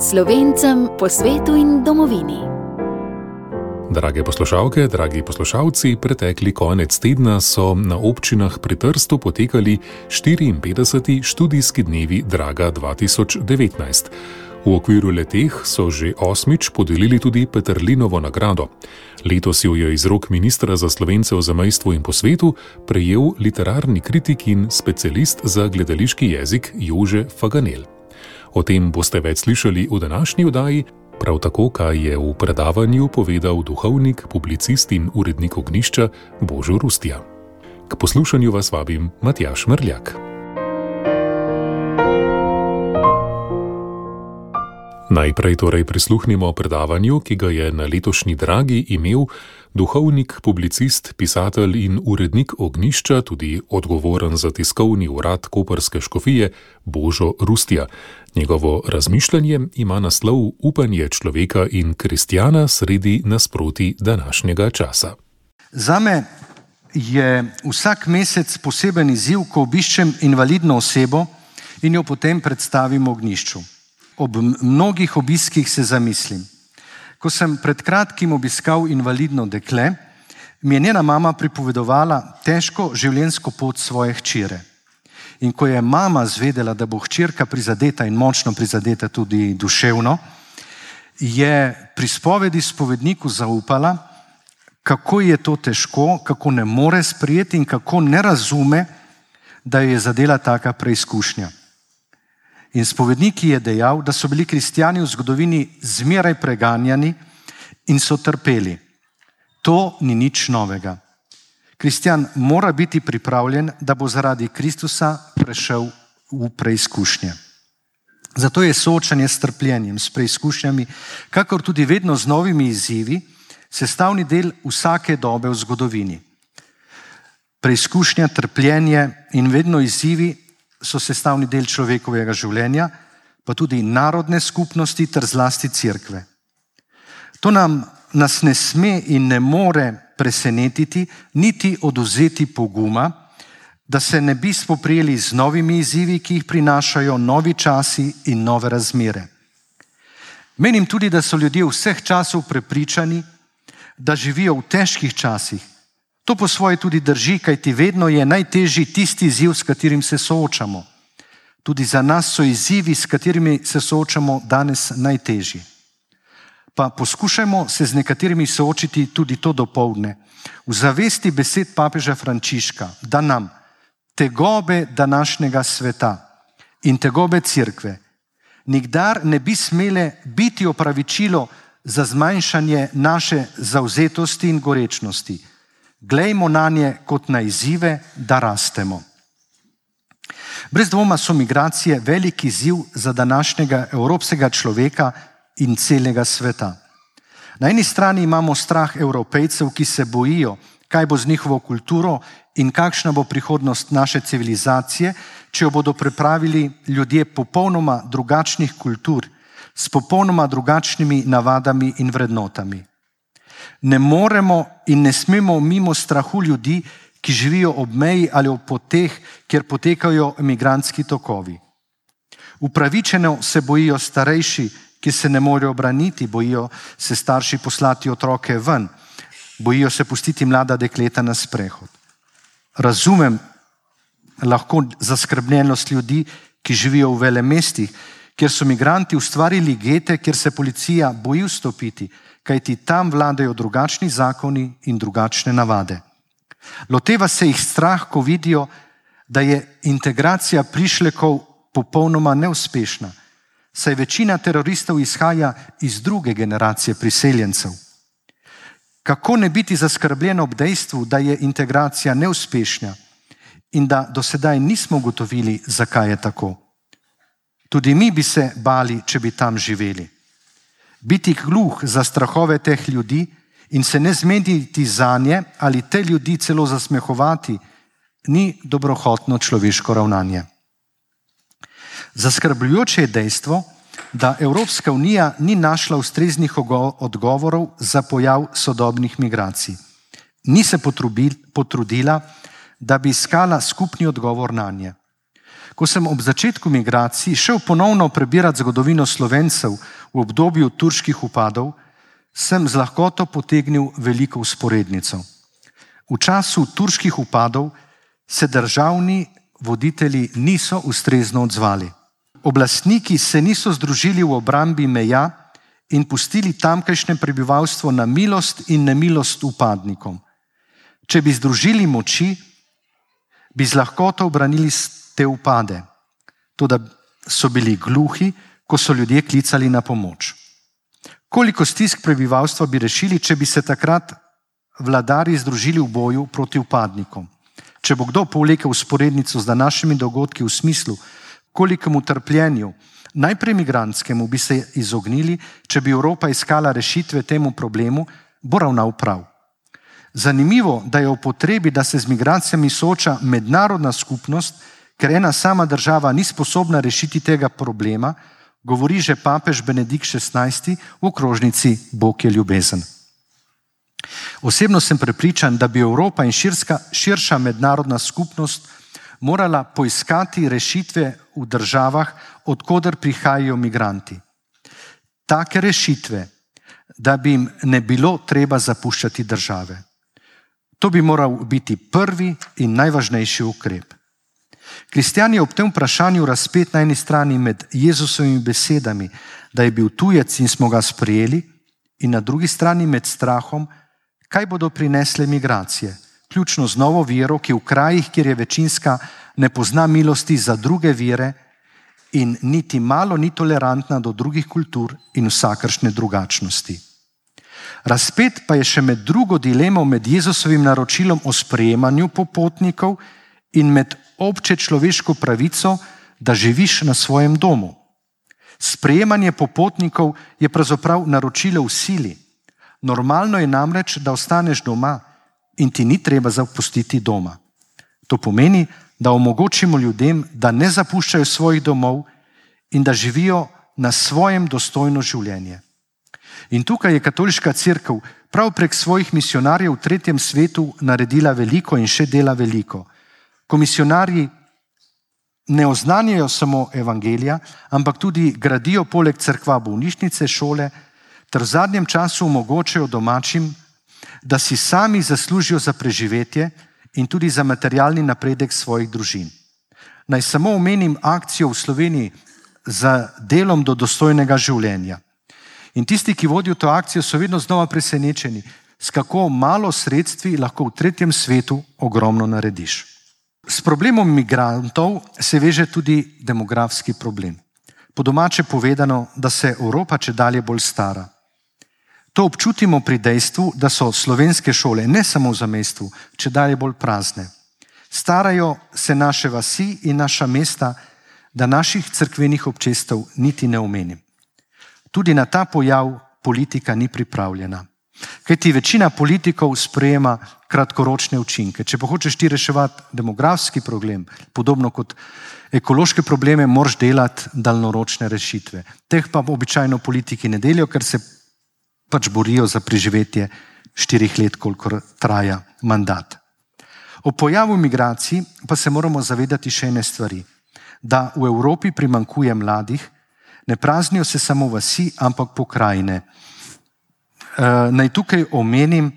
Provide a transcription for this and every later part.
Slovencem po svetu in domovini. Drage poslušalke, dragi poslušalci, pretekli konec tedna so na občinah pri Trstu potekali 54. študijski dnevi Draga 2019. V okviru leteh so že 8. podelili tudi Peterlinovo nagrado. Letos jo je iz rok ministra za Slovence v zamejstvu in po svetu prejel literarni kritik in specialist za gledališki jezik Jože Faganel. O tem boste več slišali v današnji oddaji, prav tako, kaj je v predavanju povedal duhovnik, publicist in urednik Ognjišča Božo Rustja. K poslušanju vas vabim Matjaž Mrljak. Najprej torej prisluhnimo predavanju, ki ga je na letošnji Dragi imel duhovnik, publicist, pisatelj in urednik Ognjišča, tudi odgovoren za tiskovni urad koprske škofije Božo Rustja. Njegovo razmišljanje ima naslov Upanje človeka in kristjana sredi nasprotij današnjega časa. Zame je vsak mesec poseben izziv, ko obiščem invalidno osebo in jo potem predstavim Ognjišču. Ob mnogih obiskih se zamislim. Ko sem pred kratkim obiskal invalidno dekle, mi je njena mama pripovedovala težko življenjsko pot svoje hčere. In ko je mama zvedela, da bo hčerka prizadeta in močno prizadeta tudi duševno, je pri spovedi spovedniku zaupala, kako je to težko, kako ne more sprejeti in kako ne razume, da jo je zadela taka preizkušnja. In spovednik je dejal, da so bili kristjani v zgodovini zmeraj preganjani in so trpeli. To ni nič novega. Kristjan mora biti pripravljen, da bo zaradi Kristusa prešel v preizkušnje. Zato je soočanje s trpljenjem, s preizkušnjami, kakor tudi vedno z novimi izzivi, sestavni del vsake dobe v zgodovini. Preizkušnja, trpljenje in vedno izzivi so sestavni del človekovega življenja, pa tudi narodne skupnosti ter zlasti cerkve. To nas ne sme in ne more presenetiti, niti odvzeti poguma, da se ne bi spoprijeli z novimi izzivi, ki jih prinašajo novi časi in nove razmere. Menim tudi, da so ljudje vseh časov prepričani, da živijo v težkih časih. To po svoje tudi drži, kajti vedno je najtežji tisti izziv, s katerim se soočamo. Tudi za nas so izzivi, s katerimi se soočamo danes, najtežji. Pa poskušajmo se z nekaterimi soočiti tudi to dopoldne. V zavesti besed papeža Frančiška, da nam tegobe današnjega sveta in tegobe cerkve nikdar ne bi smele biti opravičilo za zmanjšanje naše zavzetosti in gorečnosti. Glejmo na nje kot na izzive, da rastemo. Brez dvoma so migracije velik izziv za današnjega evropskega človeka in celega sveta. Na eni strani imamo strah Evropejcev, ki se bojijo, kaj bo z njihovo kulturo in kakšna bo prihodnost naše civilizacije, če jo bodo pripravili ljudje popolnoma drugačnih kultur, s popolnoma drugačnimi navadami in vrednotami. Ne moremo in ne smemo mimo strahu ljudi, ki živijo ob meji ali ob poteh, kjer potekajo migrantski tokovi. Upravičeno se bojijo starejši, ki se ne morejo braniti, bojijo se starši poslati otroke ven, bojijo se pustiti mlada dekleta na sprehod. Razumem lahko zaskrbljenost ljudi, ki živijo v velemestih, kjer so migranti ustvarili gete, kjer se policija boji vstopiti, kajti tam vladajo drugačni zakoni in drugačne navade. Loteva se jih strah, ko vidijo, da je integracija prišlekov popolnoma neuspešna, saj večina teroristov izhaja iz druge generacije priseljencev. Kako ne biti zaskrbljen ob dejstvu, da je integracija neuspešna in da do sedaj nismo ugotovili, zakaj je tako? Tudi mi bi se bali, če bi tam živeli. Biti gluh za strahove teh ljudi in se ne zmeniti zanje ali te ljudi celo zasmehovati, ni dobrohotno človeško ravnanje. Zaskrbljujoče je dejstvo, da Evropska unija ni našla ustreznih odgovorov za pojav sodobnih migracij. Ni se potrudila, da bi iskala skupni odgovor nanje. Ko sem ob začetku migracij šel ponovno prebirati zgodovino Slovencev v obdobju turških upadov, sem z lahkoto potegnil veliko vzporednico. V času turških upadov se državni voditelji niso ustrezno odzvali. Oblastniki se niso združili v obrambi meja in pustili tamkajšnje prebivalstvo na milost in nemilost upadnikom. Če bi združili moči, bi z lahkoto obranili te upade. Toda so bili gluhi, ko so ljudje klicali na pomoč. Koliko stisk prebivalstva bi rešili, če bi se takrat vladarji združili v boju proti upadnikom? Če bo kdo povlekel vzporednico z današnjimi dogodki v smislu, kolikemu trpljenju, najprej migrantskemu, bi se izognili, če bi Evropa iskala rešitve temu problemu, bo ravnal prav. Zanimivo, da je o potrebi, da se z migracijami sooča mednarodna skupnost, ker ena sama država ni sposobna rešiti tega problema, govori že papež Benedikt XVI v okrožnici Bog je ljubezen. Osebno sem prepričan, da bi Evropa in širša mednarodna skupnost morala poiskati rešitve v državah, odkoder prihajajo migranti. Take rešitve, da bi jim ne bilo treba zapuščati države. To bi moral biti prvi in najvažnejši ukrep. Kristjan je ob tem vprašanju razpet na eni strani med Jezusovimi besedami, da je bil tujec in smo ga sprejeli, in na drugi strani med strahom, kaj bodo prinesle migracije, ključno z novo vero, ki v krajih, kjer je večinska, ne pozna milosti za druge vere in niti malo ni tolerantna do drugih kultur in vsakršne drugačnosti. Razpet pa je še med drugo dilemo med Jezusovim naročilom o sprejemanju popotnikov in med obče človeško pravico, da živiš na svojem domu. Sprejemanje popotnikov je pravzaprav naročilo v sili. Normalno je namreč, da ostaneš doma in ti ni treba zapustiti doma. To pomeni, da omogočimo ljudem, da ne zapuščajo svojih domov in da živijo na svojem dostojno življenje. In tukaj je katoliška cerkev prav prek svojih misionarjev v tretjem svetu naredila veliko in še dela veliko. Ko misionarji ne oznanjajo samo evangelija, ampak tudi gradijo poleg cerkva bolnišnice, šole, ter v zadnjem času omogočajo domačim, da si sami zaslužijo za preživetje in tudi za materialni napredek svojih družin. Naj samo omenim akcijo v Sloveniji za delom do dostojnega življenja. In tisti, ki vodijo to akcijo, so vedno znova presenečeni, s kako malo sredstvi lahko v tretjem svetu ogromno narediš. S problemom migrantov se veže tudi demografski problem. Po domače povedano, da se Evropa čedalje bolj stara. To občutimo pri dejstvu, da so slovenske šole, ne samo v zamejstvu, čedalje bolj prazne. Starajo se naše vasi in naša mesta, da naših cerkvenih občestev niti ne omenim. Tudi na ta pojav politika ni pripravljena. Kajti večina politikov sprejema kratkoročne učinke. Če pa hočeš ti reševati demografski problem, podobno kot ekološke probleme, moraš delati daljnoročne rešitve. Teh pa običajno politiki ne delijo, ker se pač borijo za preživetje 4 let, kolikor traja mandat. O pojavu migracij pa se moramo zavedati še ene stvari. Da v Evropi primanjkuje mladih, ne praznijo se samo vasi, ampak pokrajine. Naj tukaj omenim,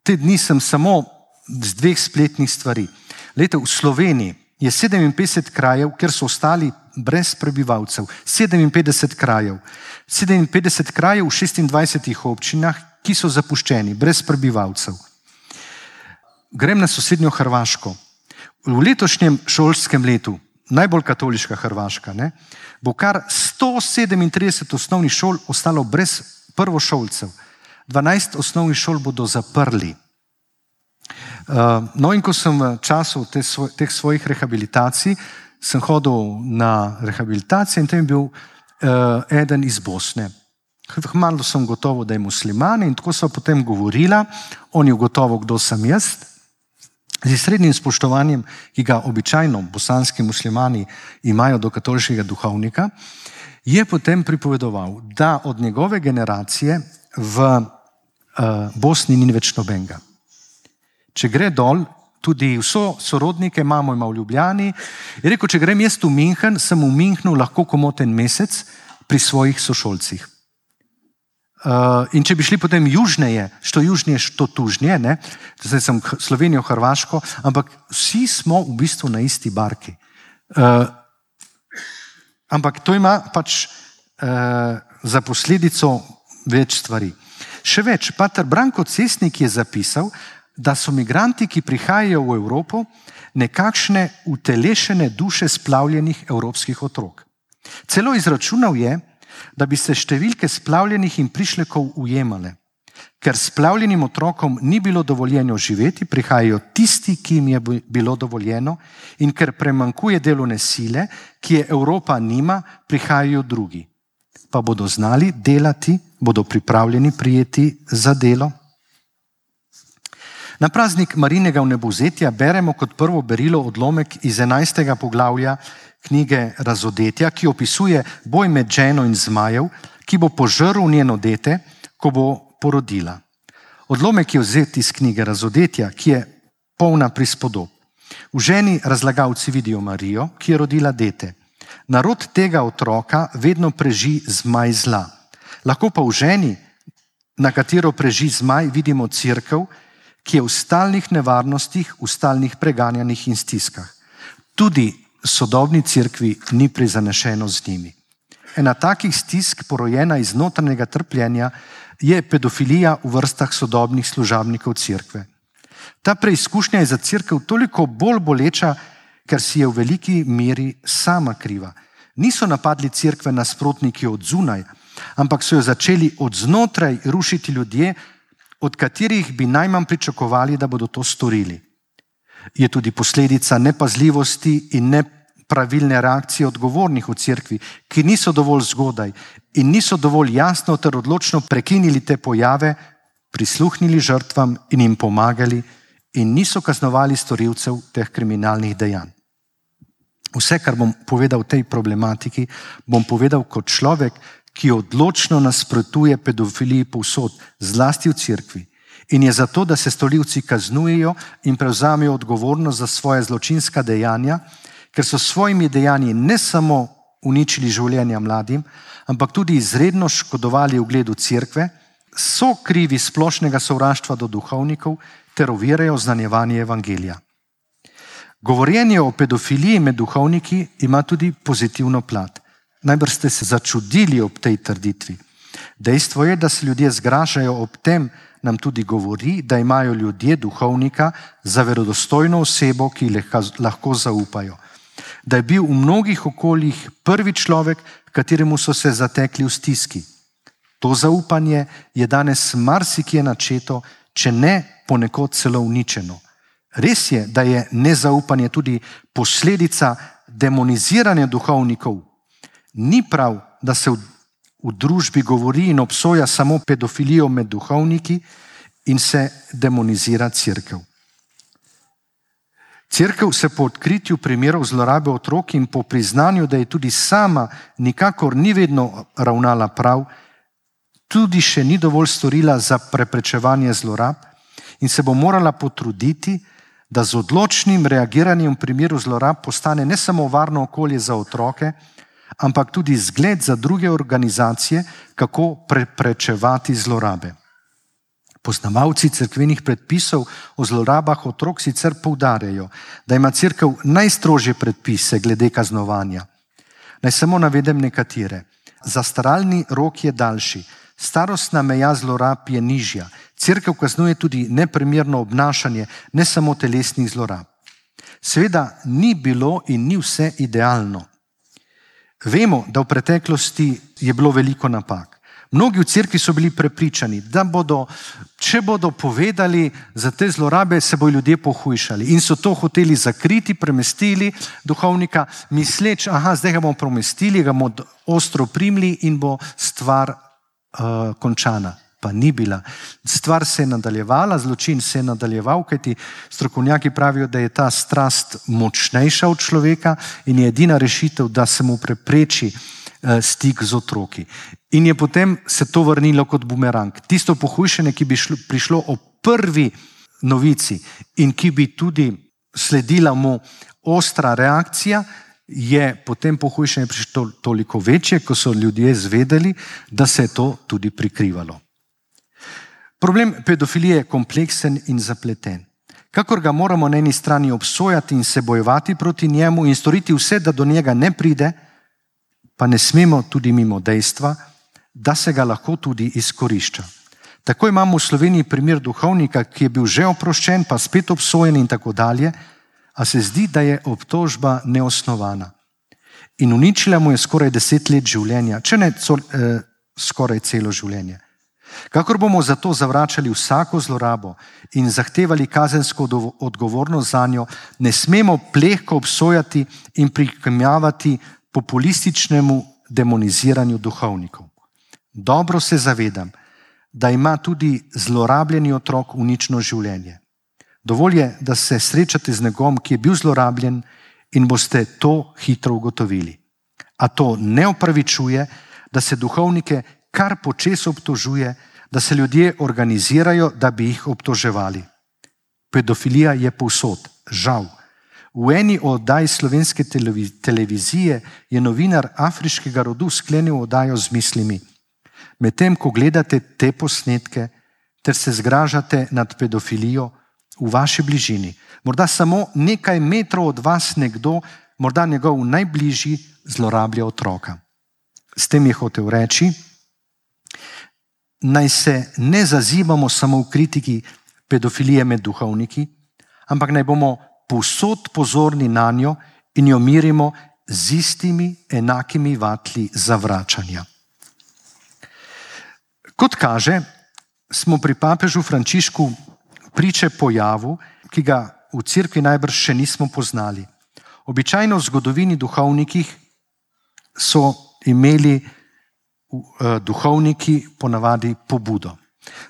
te dni sem samo z 2 spletnih stvari. Lejte, v Sloveniji je 57 krajev, kjer so ostali brez prebivalcev. 57 krajev. 57 krajev v 26 občinah, ki so zapuščeni, brez prebivalcev. Grem na sosednjo Hrvaško. V letošnjem šolskem letu, najbolj katoliška Hrvaška, bo kar 137 osnovnih šol ostalo brez prvošolcev. 12 osnovnih šol bodo zaprli. No in ko sem v času teh svojih rehabilitacij, sem hodil na rehabilitacijo in tam je bil eden iz Bosne. Malo sem gotovo, da je musliman in tako so potem govorila, on je gotovo, kdo sem jaz, z srednjim spoštovanjem, ki ga običajno bosanski muslimani imajo do katoliškega duhovnika, je potem pripovedoval, da od njegove generacije v Bosni ni več nobenega. Če gre dol, tudi vso sorodnike imamo v Ljubljani, je rekel, če grem jaz v München, sem v Münchnu lahko komot en mesec, pri svojih sošolcih. In če bi šli potem južneje, što južnije, što tužnije, ne? Zdaj sem Slovenijo, Hrvaško, ampak vsi smo v bistvu na isti barki. Ampak to ima pač za posledico več stvari. Še več, pater Branko Cesnik je zapisal, da so migranti, ki prihajajo v Evropo, nekakšne utelešene duše splavljenih evropskih otrok. Celo izračunal je, da bi se številke splavljenih in prišlekov ujemale. Ker splavljenim otrokom ni bilo dovoljeno živeti, prihajajo tisti, ki jim je bilo dovoljeno, in ker premankuje delovne sile, ki je Evropa nima, prihajajo drugi. Pa bodo znali delati, bodo pripravljeni prijeti za delo. Na praznik Marijinega vnebovzetja beremo kot prvo berilo odlomek iz 11. poglavja knjige Razodetja, ki opisuje boj med ženo in zmajev, ki bo požrl njeno dete, ko bo porodila. Odlomek je vzet iz knjige Razodetja, ki je polna prispodob. V ženi razlagalci vidijo Marijo, ki je rodila dete. Narod tega otroka vedno preži zmaj zla. Lahko pa v ženi, na katero preži zmaj, vidimo cerkev, ki je v stalnih nevarnostih, v stalnih preganjanjih in stiskah. Tudi sodobni cerkvi ni prizanešeno z njimi. Ena takih stisk, porojena iz notranjega trpljenja, je pedofilija v vrstah sodobnih služabnikov cerkve. Ta preizkušnja je za cerkev toliko bolj boleča, ker si je v veliki meri sama kriva. Niso napadli cerkve nasprotniki od zunaj, ampak so jo začeli od znotraj rušiti ljudje, od katerih bi najmanj pričakovali, da bodo to storili. Je tudi posledica nepazljivosti in nepravilne reakcije odgovornih v cerkvi, ki niso dovolj zgodaj in niso dovolj jasno ter odločno prekinili te pojave, prisluhnili žrtvam in jim pomagali in niso kaznovali storilcev teh kriminalnih dejanj. Vse, kar bom povedal v tej problematiki, bom povedal kot človek, ki odločno nasprotuje pedofiliji povsod, zlasti v cerkvi, in je zato, da se storilci kaznujejo in prevzamejo odgovornost za svoje zločinska dejanja, ker so s svojimi dejanji ne samo uničili življenja mladim, ampak tudi izredno škodovali ugledu cerkve, so krivi splošnega sovraštva do duhovnikov ter ovirajo znanjevanje evangelija. Govorjenje o pedofiliji med duhovniki ima tudi pozitivno plat. Najbrž ste se začudili ob tej trditvi. Dejstvo je, da se ljudje zgražajo ob tem, nam tudi govori, da imajo ljudje duhovnika za verodostojno osebo, ki lahko zaupajo. Da je bil v mnogih okoljih prvi človek, kateremu so se zatekli v stiski. To zaupanje je danes marsikje načeto, če ne ponekod celo uničeno. Res je, da je nezaupanje tudi posledica demoniziranja duhovnikov. Ni prav, da se v družbi govori in obsoja samo pedofilijo med duhovniki in se demonizira cerkev. Cerkev se po odkritju primerov zlorabe otrok in po priznanju, da je tudi sama nikakor ni vedno ravnala prav, tudi še ni dovolj storila za preprečevanje zlorab in se bo morala potruditi, da z odločnim reagiranjem v primeru zlorab postane ne samo varno okolje za otroke, ampak tudi zgled za druge organizacije, kako preprečevati zlorabe. Poznavalci cerkvenih predpisov o zlorabah otrok sicer poudarjajo, da ima cerkev najstrožje predpise glede kaznovanja. Naj samo navedem nekatere. Zastaralni rok je daljši, starostna meja zlorab je nižja, cerkev kaznuje tudi neprimerno obnašanje, ne samo telesnih zlorab. Seveda ni bilo in ni vse idealno. Vemo, da v preteklosti je bilo veliko napak. Mnogi v cerkvi so bili prepričani, da bodo, če bodo povedali za te zlorabe, se bodo ljudje pohujšali. In so to hoteli zakriti, premestili duhovnika, misleč, zdaj ga bomo premestili, ga bomo ostro primili in bo stvar končana. Pa ni bila. Stvar se je nadaljevala, zločin se je nadaljeval, kajti strokovnjaki pravijo, da je ta strast močnejša od človeka in je edina rešitev, da se mu prepreči stik z otroki. In je potem se to vrnilo kot bumerang. Tisto pohujšanje, ki bi prišlo o prvi novici in ki bi tudi sledila mu ostra reakcija, je potem pohujšanje prišlo toliko večje, ko so ljudje zvedeli, da se je to tudi prikrivalo. Problem pedofilije je kompleksen in zapleten. Kakor ga moramo na eni strani obsojati in se bojevati proti njemu in storiti vse, da do njega ne pride, pa ne smemo tudi mimo dejstva, da se ga lahko tudi izkorišča. Tako imamo v Sloveniji primer duhovnika, ki je bil že oproščen, pa spet obsojen in tako dalje, a se zdi, da je obtožba neosnovana. In uničila mu je skoraj 10 let življenja, če ne skoraj celo življenje. Kakor bomo zato zavračali vsako zlorabo in zahtevali kazensko odgovornost za njo, ne smemo plehko obsojati in prikimavati populističnemu demoniziranju duhovnikov. Dobro se zavedam, da ima tudi zlorabljeni otrok unično življenje. Dovolj je, da se srečate z nekom, ki je bil zlorabljen in boste to hitro ugotovili. A to ne opravičuje, da se duhovnike kar počez obtožuje, da se ljudje organizirajo, da bi jih obtoževali. Pedofilija je povsod, žal. V eni oddaj slovenske televizije je novinar afriškega rodu sklenil oddajo z mislimi: medtem ko gledate te posnetke ter se zgražate nad pedofilijo, v vaši bližini, morda samo nekaj metrov od vas nekdo, morda njegov najbližji, zlorablja otroka. S tem je hotel reči, naj se ne zazibamo samo v kritiki pedofilije med duhovniki, ampak naj bomo povsod pozorni na njo in jo mirimo z istimi enakimi vatli zavračanja. Kot kaže, smo pri papežu Frančišku priče pojavu, ki ga v cerkvi najbrž še nismo poznali. Običajno v zgodovini duhovnikih so imeli duhovniki ponavadi pobudo.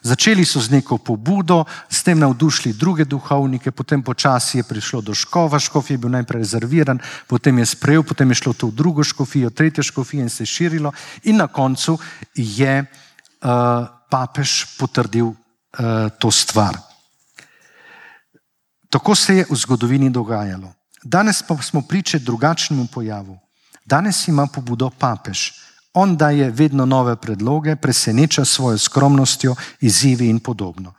Začeli so z neko pobudo, s tem navdušili druge duhovnike, potem počasi je prišlo do škofa, škof je bil najprej rezerviran, potem je sprejel, potem je šlo to v drugo škofijo, tretjo škofijo in se širilo in na koncu je papež potrdil to stvar. Tako se je v zgodovini dogajalo. Danes pa smo priče drugačnemu pojavu. Danes ima pobudo papež. On daje vedno nove predloge, preseneča svojo skromnostjo, izzivi in podobno.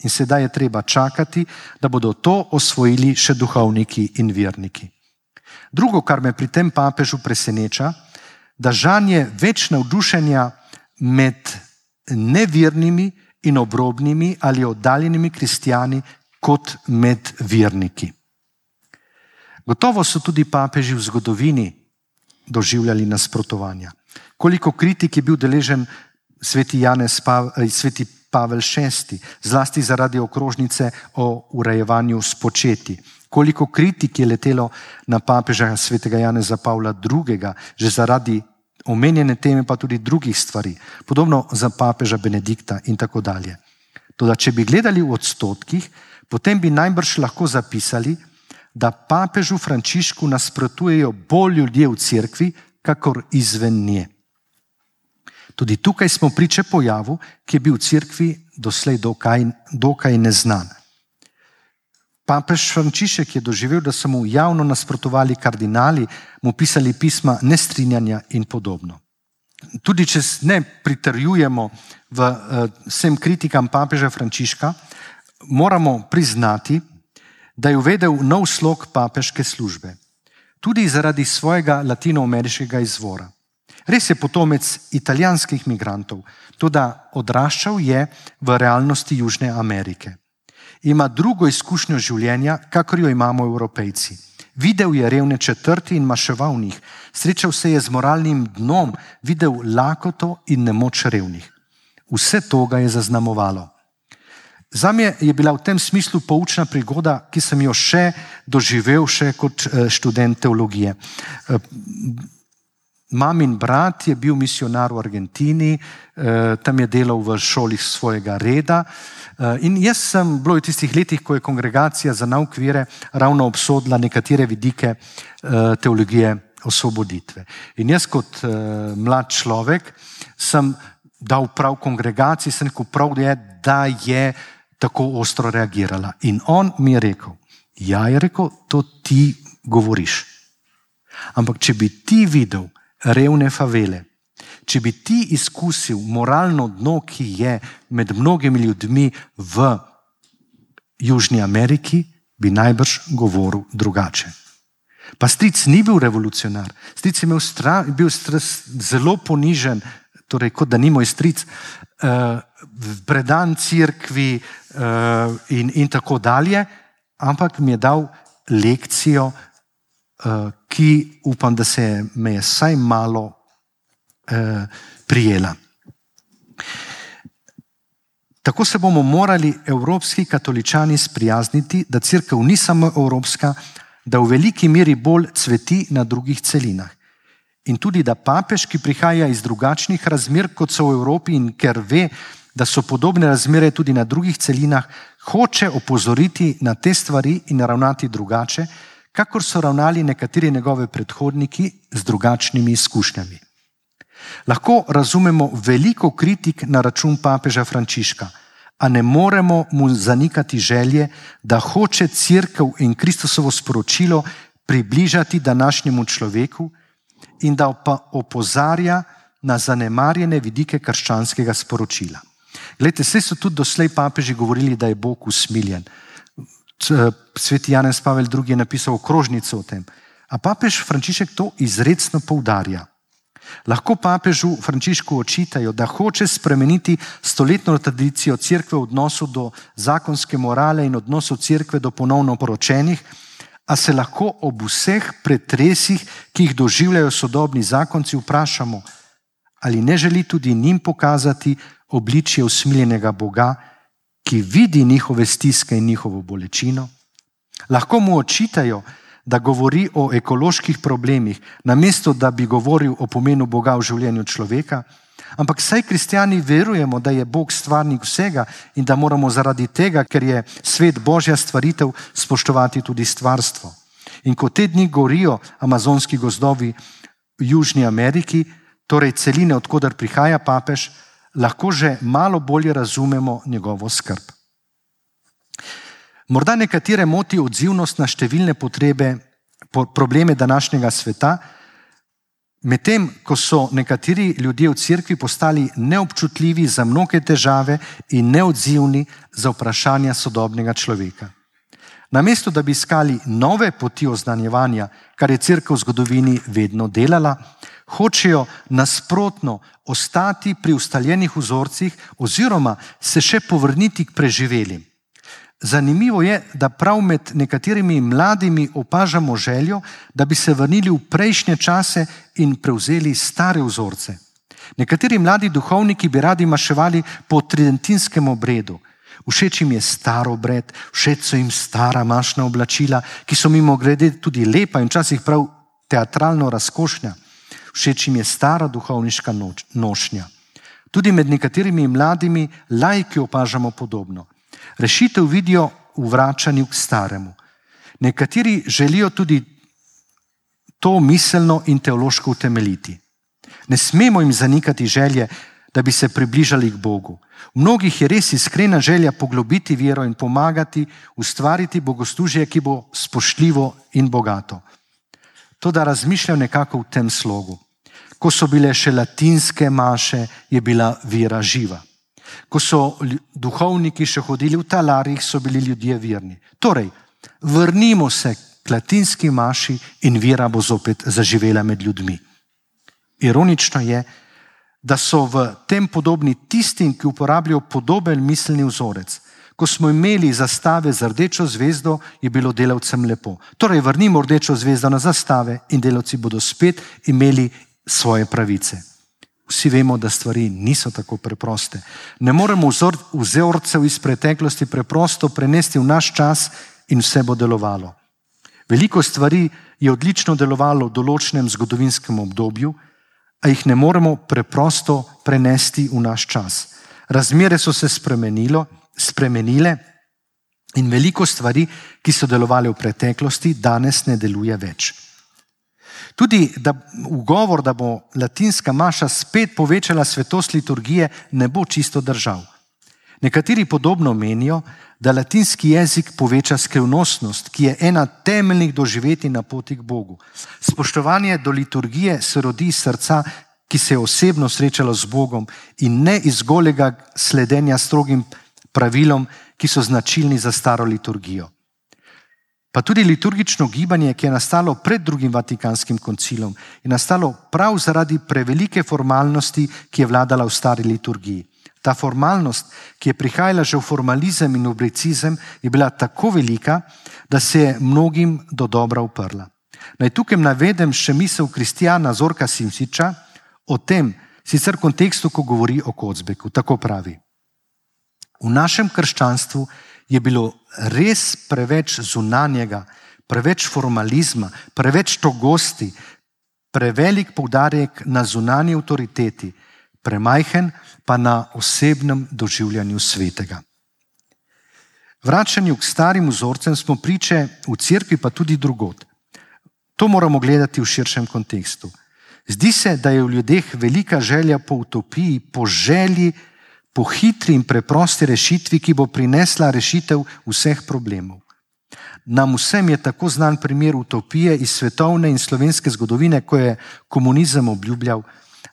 In sedaj je treba čakati, da bodo to osvojili še duhovniki in verniki. Drugo, kar me pri tem papežu preseneča, da žanje več navdušenja med nevernimi in obrobnimi ali oddaljenimi kristjani kot med verniki. Gotovo so tudi papeži v zgodovini doživljali nasprotovanja. Koliko kritik je bil deležen sveti Pavel VI, zlasti zaradi okrožnice o urejevanju spočeti. Koliko kritik je letelo na papeža svetega Janeza Pavla II, že zaradi omenjene teme pa tudi drugih stvari, podobno za papeža Benedikta in tako dalje. Toda če bi gledali v odstotkih, potem bi najbrž lahko zapisali, da papežu Frančišku nasprotujejo bolj ljudje v cerkvi, kakor izven nje. Tudi tukaj smo priče pojavu, ki je bil v cerkvi doslej dokaj neznan. Papež Frančišek je doživel, da so mu javno nasprotovali kardinali, mu pisali pisma nestrinjanja in podobno. Tudi če ne pritrjujemo vsem kritikam papeža Frančiška, moramo priznati, da je uvedel nov slog papeške službe. Tudi zaradi svojega latinoameriškega izvora. Res je potomec italijanskih migrantov, toda odraščal je v realnosti Južne Amerike. Ima drugo izkušnjo življenja, kakor jo imamo Evropejci. Videl je revne četrti in maševal v njih. Srečal se je z moralnim dnom, videl lakoto in nemoč revnih. Vse to ga je zaznamovalo. Zame je bila v tem smislu poučna prigoda, ki sem jo še doživel kot študent teologije. Mamin brat je bil misionar v Argentini, tam je delal v šoli svojega reda in jaz sem bilo v tistih letih, ko je kongregacija za nauk vere ravno obsodila nekatere vidike teologije osvoboditve. In jaz kot mlad človek sem dal prav kongregaciji, sem rekel prav je, da je tako ostro reagirala. In on mi je rekel, ja, je rekel, to ti govoriš. Ampak če bi ti videl revne favele, če bi ti izkusil moralno dno, ki je med mnogimi ljudmi v Južni Ameriki, bi najbrž govoril drugače. Pa stric ni bil revolucionar, stric je bil zelo ponižen, torej kot da ni moj stric, predan cerkvi in tako dalje, ampak mi je dal lekcijo, ki upam, da me je vsaj malo prijela. Tako se bomo morali evropski katoličani sprijazniti, da cerkev ni samo evropska, da v veliki meri bolj cveti na drugih celinah. In tudi, da papež, ki prihaja iz drugačnih razmer, kot so v Evropi, in ker ve, da so podobne razmere tudi na drugih celinah, hoče opozoriti na te stvari in ravnati drugače, kakor so ravnali nekateri njegovi predhodniki z drugačnimi izkušnjami. Lahko razumemo veliko kritik na račun papeža Frančiška, a ne moremo mu zanikati želje, da hoče cerkev in Kristusovo sporočilo približati današnjemu človeku in da pa opozarja na zanemarjene vidike krščanskega sporočila. Glejte, saj so tudi doslej papeži govorili, da je Bog usmiljen. Sveti Janez Pavel II. Je napisal okrožnico o tem. A papež Frančišek to izrecno poudarja. Lahko papežu Frančišku očitajo, da hoče spremeniti stoletno tradicijo cerkve v odnosu do zakonske morale in odnosu cerkve do ponovno poročenih, a se lahko ob vseh pretresih, ki jih doživljajo sodobni zakonci, vprašamo, ali ne želi tudi njim pokazati obličje usmiljenega Boga, ki vidi njihove stiske in njihovo bolečino. Lahko mu očitajo, da govori o ekoloških problemih, namesto da bi govoril o pomenu Boga v življenju človeka, ampak saj kristjani verujemo, da je Bog stvarnik vsega in da moramo zaradi tega, ker je svet Božja stvaritev, spoštovati tudi stvarstvo. In ko te dni gorijo amazonski gozdovi v Južni Ameriki, torej celine, od koder prihaja papež, lahko že malo bolje razumemo njegovo skrb. Morda nekatere moti odzivnost na številne probleme današnjega sveta, medtem ko so nekateri ljudje v cerkvi postali neobčutljivi za mnoge težave in neodzivni za vprašanja sodobnega človeka. Namesto da bi iskali nove poti oznanjevanja, kar je cerkev v zgodovini vedno delala, hočejo nasprotno ostati pri ustaljenih vzorcih oziroma se še povrniti k preživelim. Zanimivo je, da prav med nekaterimi mladimi opažamo željo, da bi se vrnili v prejšnje čase in prevzeli stare vzorce. Nekateri mladi duhovniki bi radi maševali po tridentinskem obredu. Všeč jim je star obred, všeč so jim stara mašna oblačila, ki so mimogrede tudi lepa in včasih prav teatralno razkošnja. Všeč jim je stara duhovniška nošnja. Tudi med nekaterimi mladimi laiki opažamo podobno. Rešitev vidijo v vračanju k staremu. Nekateri želijo tudi to miselno in teološko utemeljiti. Ne smemo jim zanikati želje, da bi se približali k Bogu. V mnogih je res iskrena želja poglobiti vero in pomagati ustvariti bogoslužje, ki bo spoštljivo in bogato. Toda razmišljam nekako v tem slogu. Ko so bile še latinske maše, je bila vera živa. Ko so duhovniki še hodili v talarih, so bili ljudje verni. Torej, vrnimo se k latinski maši in vera bo zopet zaživela med ljudmi. Ironično je, da so v tem podobni tistim, ki uporabljajo podoben miselni vzorec. Ko smo imeli zastave z rdečo zvezdo, je bilo delavcem lepo. Torej, vrnimo rdečo zvezdo na zastave in delavci bodo spet imeli svoje pravice. Vsi vemo, da stvari niso tako preproste. Ne moremo vzorcev iz preteklosti preprosto prenesti v naš čas in vse bo delovalo. Veliko stvari je odlično delovalo v določenem zgodovinskem obdobju, a jih ne moremo preprosto prenesti v naš čas. Razmere so se spremenile in veliko stvari, ki so delovale v preteklosti, danes ne deluje več. Tudi ugovor, da bo latinska maša spet povečala svetost liturgije, ne bo čisto držal. Nekateri podobno menijo, da latinski jezik poveča skrivnostnost, ki je ena temeljnih doživetij na poti k Bogu. Spoštovanje do liturgije se rodi iz srca, ki se je osebno srečalo z Bogom in ne iz golega sledenja strogim pravilom, ki so značilni za staro liturgijo. Pa tudi liturgično gibanje, ki je nastalo pred drugim Vatikanskim koncilom, je nastalo prav zaradi prevelike formalnosti, ki je vladala v stari liturgiji. Ta formalnost, ki je prihajala že v formalizem in obrecizem, je bila tako velika, da se je mnogim do dobra uprla. Naj tukaj navedem še misel kristjana Zorka Simšiča o tem, sicer v kontekstu, ko govori o Kocbeku. Tako pravi: v našem krščanstvu je bilo res preveč zunanjega, preveč formalizma, preveč togosti, prevelik poudarek na zunanji avtoriteti, premajhen pa na osebnem doživljanju svetega. Vračanju k starim vzorcem smo priče v cerkvi, pa tudi drugod. To moramo gledati v širšem kontekstu. Zdi se, da je v ljudeh velika želja po utopiji, po želji, po hitri in preprosti rešitvi, ki bo prinesla rešitev vseh problemov. Nam vsem je tako znan primer utopije iz svetovne in slovenske zgodovine, ko je komunizem obljubljal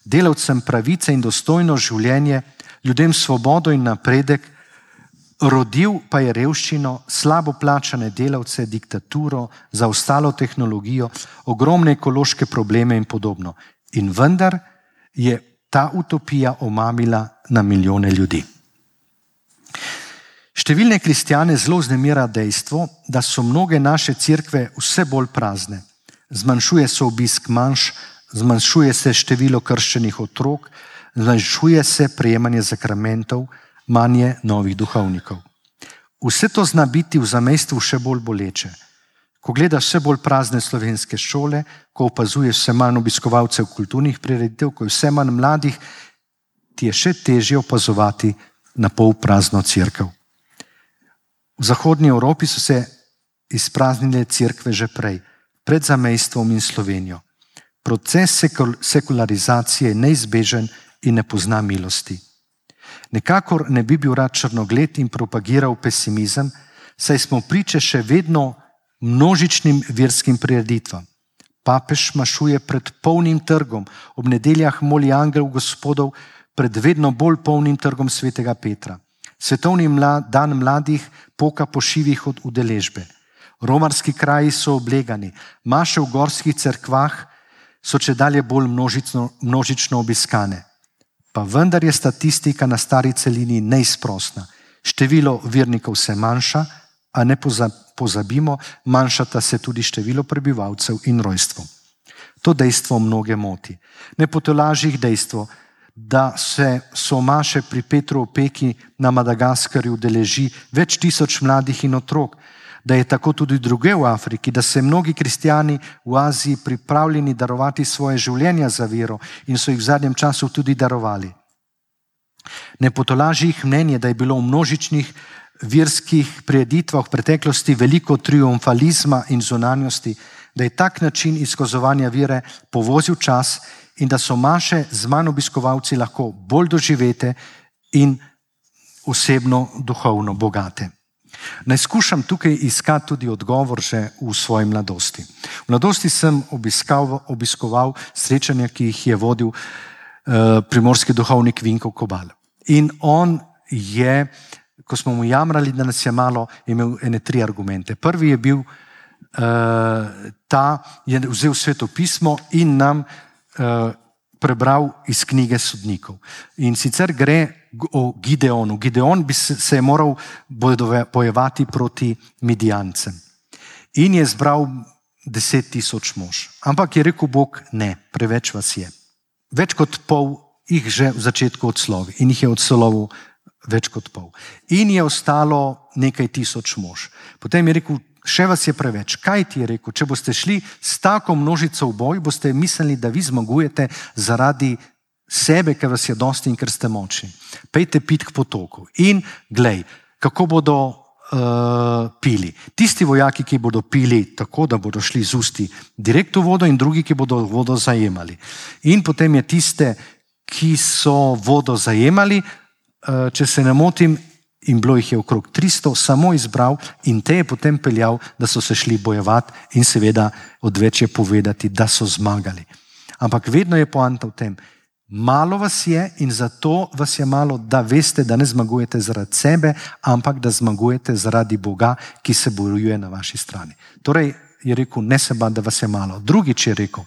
delavcem pravice in dostojno življenje, ljudem svobodo in napredek, rodil pa je revščino, slabo plačane delavce, diktaturo, zaostalo tehnologijo, ogromne ekološke probleme in podobno. In vendar je ta utopija omamila na milijone ljudi. Številne kristjane zelo vznemira dejstvo, da so mnoge naše cerkve vse bolj prazne. Zmanjšuje se obisk manjš, zmanjšuje se število krščenih otrok, zmanjšuje se prejemanje sakramentov, manje novih duhovnikov. Vse to zna biti v zamejstvu še bolj boleče. Ko gledaš vse bolj prazne slovenske šole, ko opazuješ vse manj obiskovalcev kulturnih prireditev, ko je vse manj mladih, ti je še težje opazovati na pol prazno cerkev. V zahodnji Evropi so se izpraznile cerkve že prej, pred zamejstvom in Slovenijo. Proces sekularizacije je neizbežen in ne pozna milosti. Nekakor ne bi bil rad črnogled in propagiral pesimizem, saj smo priče še vedno množičnim verskim prireditvam. Papež mašuje pred polnim trgom, ob nedeljah moli angel Gospodov pred vedno bolj polnim trgom svetega Petra. Svetovni dan mladih poka po šivih od udeležbe. Romarski kraji so oblegani, maše v gorskih cerkvah so čedalje bolj množično obiskane. Pa vendar je statistika na stari celini neizprosna. Število vernikov se manjša, a ne pozabimo, manjšata se tudi število prebivalcev in rojstvo. To dejstvo mnoge moti. Ne potolaži jih dejstvo, da se maše pri Petru Opeki na Madagaskarju udeleži več tisoč mladih in otrok, da je tako tudi druge v Afriki, da se mnogi kristjani v Aziji pripravljeni darovati svoje življenja za vero in so jih v zadnjem času tudi darovali. Ne potolaži jih mnenje, da je bilo v množičnih verskih prireditvah v preteklosti veliko triumfalizma in zunanjosti, da je tak način izkazovanja vere povozil čas in da so maše z manj obiskovalci lahko bolj doživete in osebno duhovno bogate. Naj skušam tukaj iskati tudi odgovor že v svoji mladosti. V mladosti sem obiskoval srečanja, ki jih je vodil primorski duhovnik Vinko Kobal. In on je, ko smo mu jamrali, da nas je malo, imel ene 3 argumente. Prvi je bil je vzel Sveto pismo in nam prebral iz knjige Sodnikov. In sicer gre o Gideonu. Gideon bi se je moral bojevati proti Midijancem. In je zbral 10,000 mož. Ampak je rekel Bog, ne, preveč vas je. Več kot pol jih že v začetku odslovi. In jih je odslovil več kot pol. In je ostalo nekaj tisoč mož. Potem je rekel, še vas je preveč. Kaj ti je rekel? Če boste šli s tako množico v boj, boste mislili, da vi zmagujete zaradi sebe, ker vas je dosti in ker ste močni. Pejte pit k potoku. In glej, kako bodo pili. Tisti vojaki, ki bodo pili tako, da bodo šli z usti direkt v vodo, in drugi, ki bodo vodo zajemali. In potem je tiste, ki so vodo zajemali, če se ne motim, in bilo jih je okrog 300, samo izbral in te je potem peljal, da so se šli bojevati in seveda odveč je povedati, da so zmagali. Ampak vedno je poanta v tem, malo vas je in zato vas je malo, da veste, da ne zmagujete zaradi sebe, ampak da zmagujete zaradi Boga, ki se bojuje na vaši strani. Torej je rekel, ne se bati, da vas je malo. Drugič je rekel,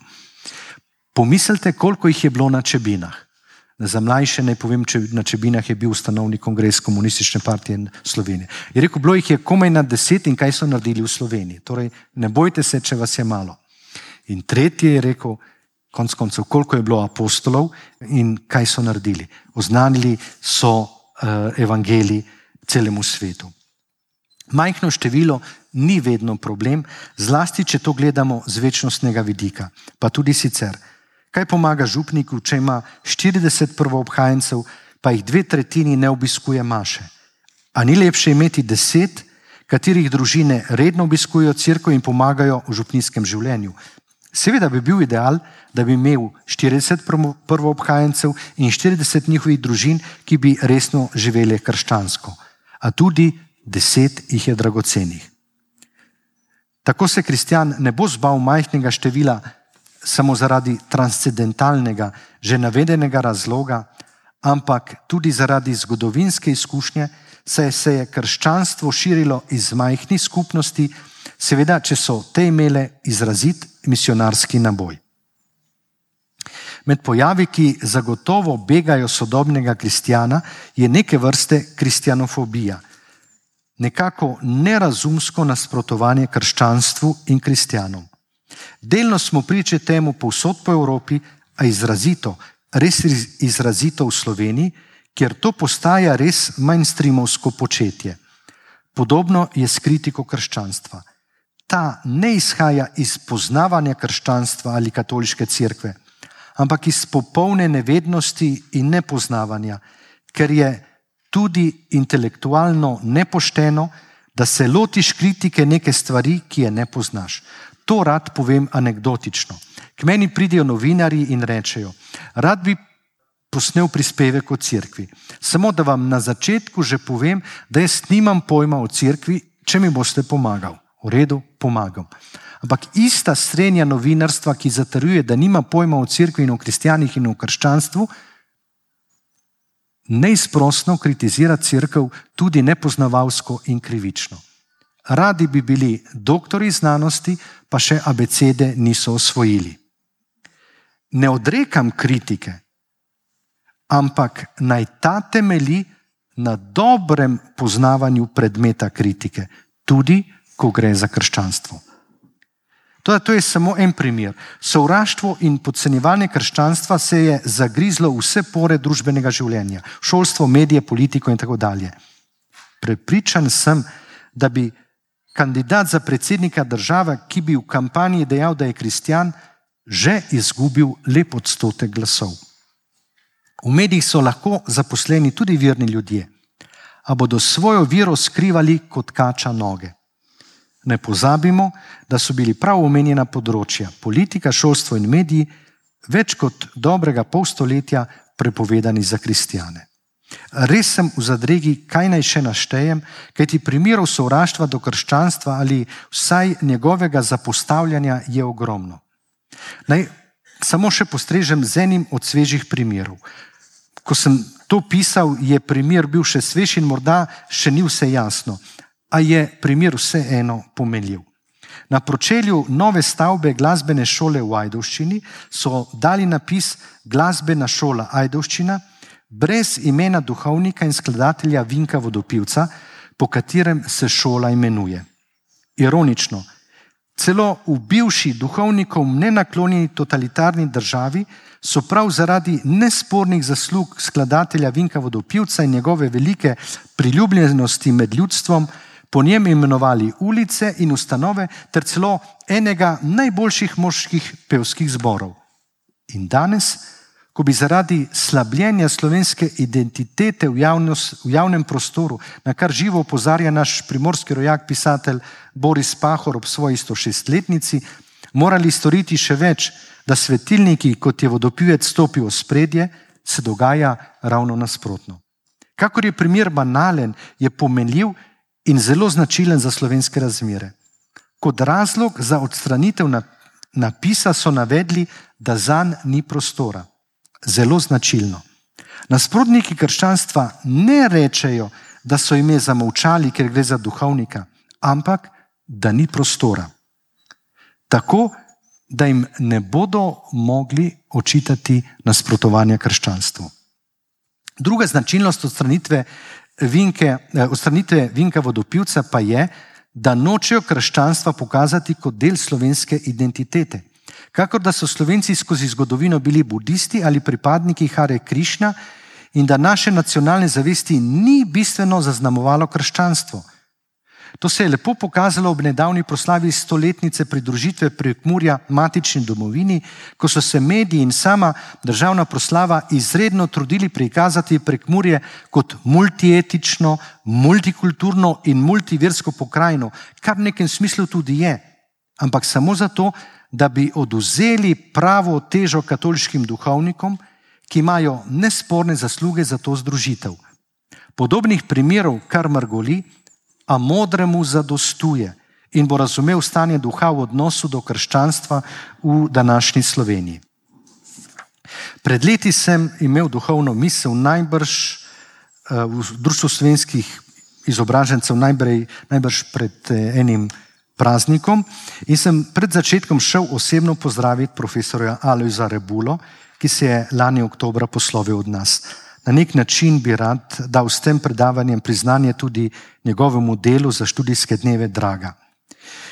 pomislite, koliko jih je bilo na Čebinah. Za mlajše naj povem, na Čebinah je bil ustanovni kongres Komunistične partije Slovenije. Je rekel, bilo jih je komaj na 10 in kaj so naredili v Sloveniji. Torej, ne bojte se, če vas je malo. In tretje je rekel, konec koncev, koliko je bilo apostolov in kaj so naredili. Oznanili so evangelij celemu svetu. Majhno število ni vedno problem, zlasti, če to gledamo z večnostnega vidika, pa tudi sicer. Kaj pomaga župniku, če ima 40 prvoobhajencev, pa jih 2/3 ne obiskuje maše? A ni lepše imeti 10, katerih družine redno obiskujejo cerkev in pomagajo v župnijskem življenju? Seveda bi bil ideal, da bi imel 40 prvoobhajencev in 40 njihovih družin, ki bi resno živeli krščansko. A tudi 10 jih je dragocenih. Tako se kristjan ne bo zbal majhnega števila samo zaradi transcendentalnega, že navedenega razloga, ampak tudi zaradi zgodovinske izkušnje, saj se je krščanstvo širilo iz majhnih skupnosti, seveda, če so te imele izrazit misionarski naboj. Med pojavi, ki zagotovo begajo sodobnega kristjana, je neke vrste kristjanofobija. Nekako nerazumsko nasprotovanje krščanstvu in kristjanom. Delno smo priče temu povsod po Evropi, a izrazito, res izrazito v Sloveniji, kjer to postaja res mainstreamovsko početje. Podobno je s kritiko krščanstva. Ta ne izhaja iz poznavanja krščanstva ali katoliške cerkve, ampak iz popolne nevednosti in nepoznavanja, ker je tudi intelektualno nepošteno, da se lotiš kritike neke stvari, ki je ne poznaš. To rad povem anekdotično. K meni pridejo novinarji in rečejo, rad bi posnel prispevek o cerkvi. Samo da vam na začetku že povem, da jaz nimam pojma o cerkvi, če mi boste pomagal. V redu, pomagam. Ampak ista srednja novinarstva, ki zatrjuje, da nima pojma o cerkvi in o kristjanih in o krščanstvu, neizprosno kritizira cerkev tudi nepoznavalsko in krivično. Radi bi bili doktori znanosti, pa še abecede niso osvojili. Ne odrekam kritike, ampak naj ta temelji na dobrem poznavanju predmeta kritike, tudi ko gre za krščanstvo. To je samo en primer. Sovraštvo in podcenjevanje krščanstva se je zagrizlo v vse pore družbenega življenja, šolstvo, medije, politiko in tako dalje. Prepričan sem, da bi kandidat za predsednika države, ki bi v kampanji dejal, da je kristjan, že izgubil lep odstotek glasov. V medijih so lahko zaposleni tudi verni ljudje, a bodo svojo vero skrivali kot kača noge. Ne pozabimo, da so bili prav omenjena področja, politika, šolstvo in mediji, več kot dobrega pol stoletja prepovedani za kristjane. Res sem v zadregi, kaj naj še naštejem, kajti primerov sovraštva do krščanstva ali vsaj njegovega zapostavljanja je ogromno. Naj samo še postrežem z enim od svežih primerov. Ko sem to pisal, je primer bil še svež in morda še ni vse jasno, a je primer vseeno pomenljiv. Na pročelju nove stavbe glasbene šole v Ajdovščini so dali napis Glasbena šola Ajdovščina brez imena duhovnika in skladatelja Vinka Vodopivca, po katerem se šola imenuje. Ironično, celo v bivši duhovnikom nenaklonjeni totalitarni državi so prav zaradi nespornih zaslug skladatelja Vinka Vodopivca in njegove velike priljubljenosti med ljudstvom po njem imenovali ulice in ustanove ter celo enega najboljših moških pevskih zborov. In danes, ko bi zaradi slabljenja slovenske identitete v javnem prostoru, na kar živo opozarja naš primorski rojak pisatelj Boris Pahor ob svoji 106-letnici, morali storiti še več, da svetilniki, kot je Vodopivec, stopijo v spredje, se dogaja ravno nasprotno. Kakor je primer banalen, je pomenljiv in zelo značilen za slovenske razmere. Kot razlog za odstranitev napisa so navedli, da zanj ni prostora. Zelo značilno. Nasprotniki krščanstva ne rečejo, da so ime zamolčali, ker gre za duhovnika, ampak da ni prostora. Tako, da jim ne bodo mogli očitati nasprotovanja krščanstvu. Druga značilnost odstranitve Vinka Vodopivca pa je, da nočejo krščanstva pokazati kot del slovenske identitete. Kakor da so Slovenci skozi zgodovino bili budisti ali pripadniki Hare Krišna in da naše nacionalne zavesti ni bistveno zaznamovalo krščanstvo. To se je lepo pokazalo ob nedavni proslavi 100-letnice pridružitve Prekmurja matični domovini, ko so se mediji in sama državna proslava izredno trudili prikazati Prekmurje kot multietično, multikulturno in multiversko pokrajino, kar v nekem smislu tudi je, ampak samo zato, da bi odvzeli pravo težo katoliškim duhovnikom, ki imajo nesporne zasluge za to združitev. Podobnih primerov kar mrgoli, a modremu zadostuje in bo razumel stanje duha v odnosu do krščanstva v današnji Sloveniji. Pred leti sem imel duhovno misel najbrž v Društvu slovenskih izobražencev, najbrž pred enim praznikom in sem pred začetkom šel osebno pozdraviti profesorja Alojza Rebulo, ki se je lani oktobra poslovil od nas. Na nek način bi rad dal s tem predavanjem priznanje tudi njegovemu delu za študijske dneve Draga.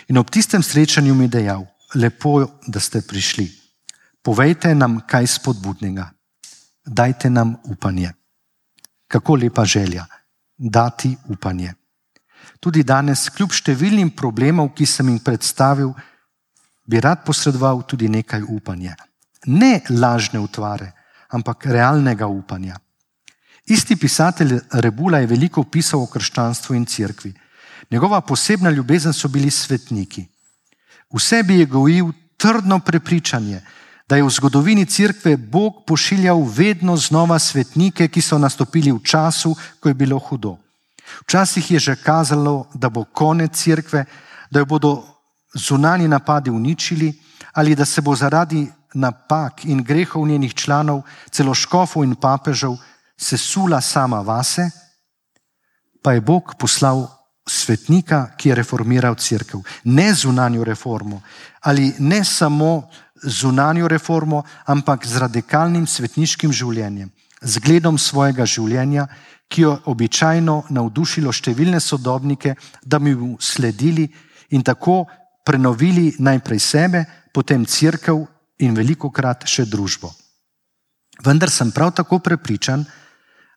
In ob tistem srečanju mi dejal, lepo, da ste prišli. Povejte nam kaj spodbudnega. Dajte nam upanje. Kako lepa želja. Dati upanje. Tudi danes, kljub številnim problemov, ki sem jim predstavil, bi rad posredoval tudi nekaj upanja. Ne lažne utvare, ampak realnega upanja. Isti pisatelj Rebula je veliko pisal o krščanstvu in cerkvi. Njegova posebna ljubezen so bili svetniki. V sebi je gojil trdno prepričanje, da je v zgodovini cerkve Bog pošiljal vedno znova svetnike, ki so nastopili v času, ko je bilo hudo. Včasih je že kazalo, da bo konec cerkve, da jo bodo zunanji napadi uničili ali da se bo zaradi napak in grehov njenih članov, celo škofov in papežev, sesula sama vase, pa je Bog poslal svetnika, ki je reformiral cerkev. Ne zunanjo reformo ali ne samo zunanjo reformo, ampak z radikalnim svetniškim življenjem, zgledom svojega življenja, ki je običajno navdušilo številne sodobnike, da bi mu sledili in tako prenovili najprej sebe, potem cerkev in velikokrat še družbo. Vendar sem prav tako prepričan,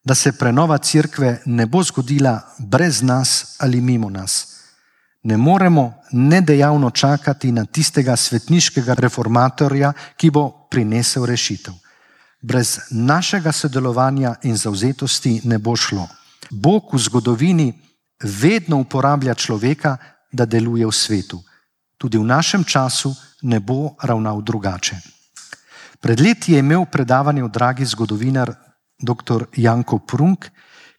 da se prenova cerkve ne bo zgodila brez nas ali mimo nas. Ne moremo nedejavno čakati na tistega svetniškega reformatorja, ki bo prinesel rešitev. Brez našega sodelovanja in zavzetosti ne bo šlo. Bog v zgodovini vedno uporablja človeka, da deluje v svetu. Tudi v našem času ne bo ravnal drugače. Pred leti je imel predavanje o dragi zgodovinar dr. Janko Prunk,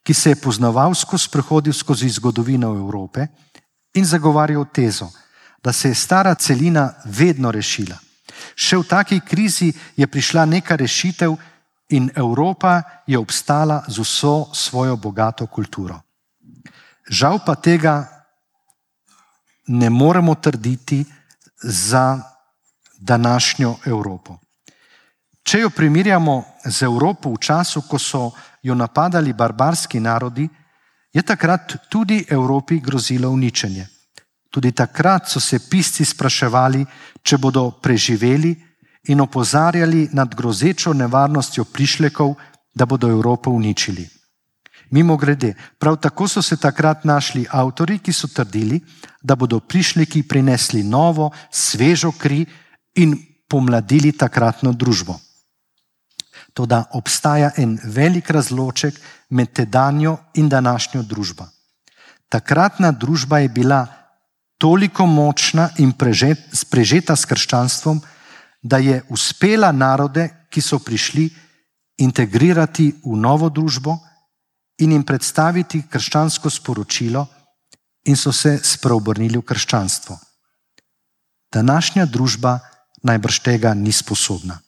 ki se je poznavalsko sprehodil skozi zgodovino Evrope in zagovarjal tezo, da se je stara celina vedno rešila. Še v taki krizi je prišla neka rešitev in Evropa je obstala z vso svojo bogato kulturo. Žal pa tega ne moremo trditi za današnjo Evropo. Če jo primerjamo z Evropo v času, ko so jo napadali barbarski narodi, je takrat tudi Evropi grozilo uničenje. Tudi takrat so se pisci spraševali, če bodo preživeli in opozarjali nad grozečo nevarnostjo prišlekov, da bodo Evropo uničili. Mimogrede, prav tako so se takrat našli avtorji, ki so trdili, da bodo prišleki prinesli novo, svežo kri in pomladili takratno družbo. Toda obstaja en velik razloček med tedanjo in današnjo družbo. Takratna družba je bila toliko močna in prežeta s krščanstvom, da je uspela narode, ki so prišli, integrirati v novo družbo in jim predstaviti krščansko sporočilo in so se spreobrnili v krščanstvo. Današnja družba najbrž tega ni sposobna.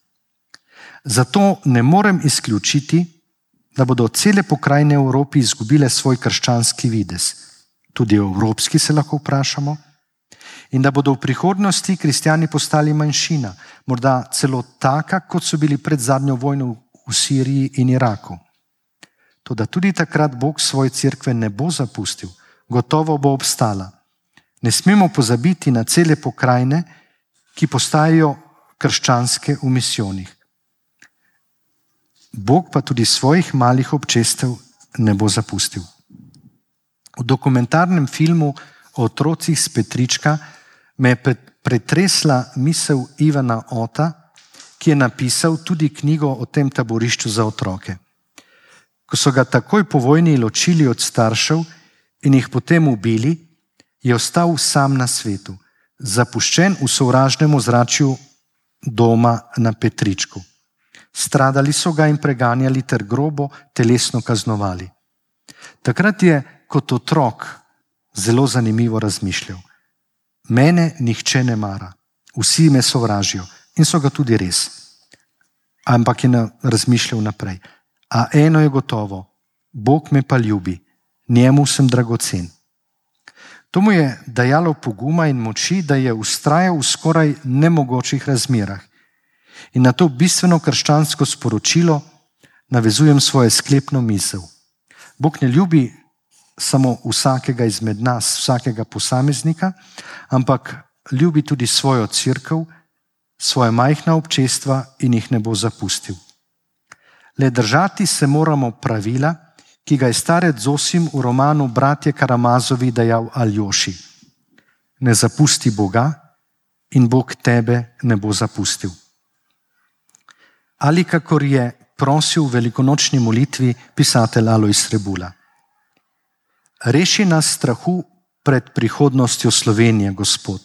Zato ne morem izključiti, da bodo cele pokrajine v Evropi izgubile svoj krščanski videz. Tudi evropski se lahko vprašamo. In da bodo v prihodnosti kristjani postali manjšina, morda celo taka, kot so bili pred zadnjo vojno v Siriji in Iraku. Toda tudi takrat Bog svoje cerkve ne bo zapustil, gotovo bo obstala. Ne smemo pozabiti na cele pokrajine, ki postajajo krščanske v misijonih. Bog pa tudi svojih malih občestev ne bo zapustil. V dokumentarnem filmu o otrocih s Petrička me je pretresla misel Ivana Ota, ki je napisal tudi knjigo o tem taborišču za otroke. Ko so ga takoj po vojni ločili od staršev in jih potem ubili, je ostal sam na svetu, zapuščen v sovražnem ozračju doma na Petričku. Stradali so ga in preganjali ter grobo telesno kaznovali. Takrat je kot otrok zelo zanimivo razmišljal. Mene nihče ne mara, vsi me sovražijo in so ga tudi res. Ampak je razmišljal naprej. A eno je gotovo, Bog me pa ljubi, njemu sem dragocen. To mu je dajalo poguma in moči, da je vztrajal v skoraj nemogočih razmerah. In na to bistveno krščansko sporočilo navezujem svojo sklepno misel. Bog ne ljubi samo vsakega izmed nas, vsakega posameznika, ampak ljubi tudi svojo cerkev, svoje majhna občestva in jih ne bo zapustil. Le držati se moramo pravila, ki ga je starec Zosim v romanu Bratje Karamazovi dejal Aljoši. Ne zapusti Boga in Bog tebe ne bo zapustil. Ali kakor je prosil v velikonočni molitvi pisatelj Alojz Rebula. Reši nas strahu pred prihodnostjo Slovenije, Gospod.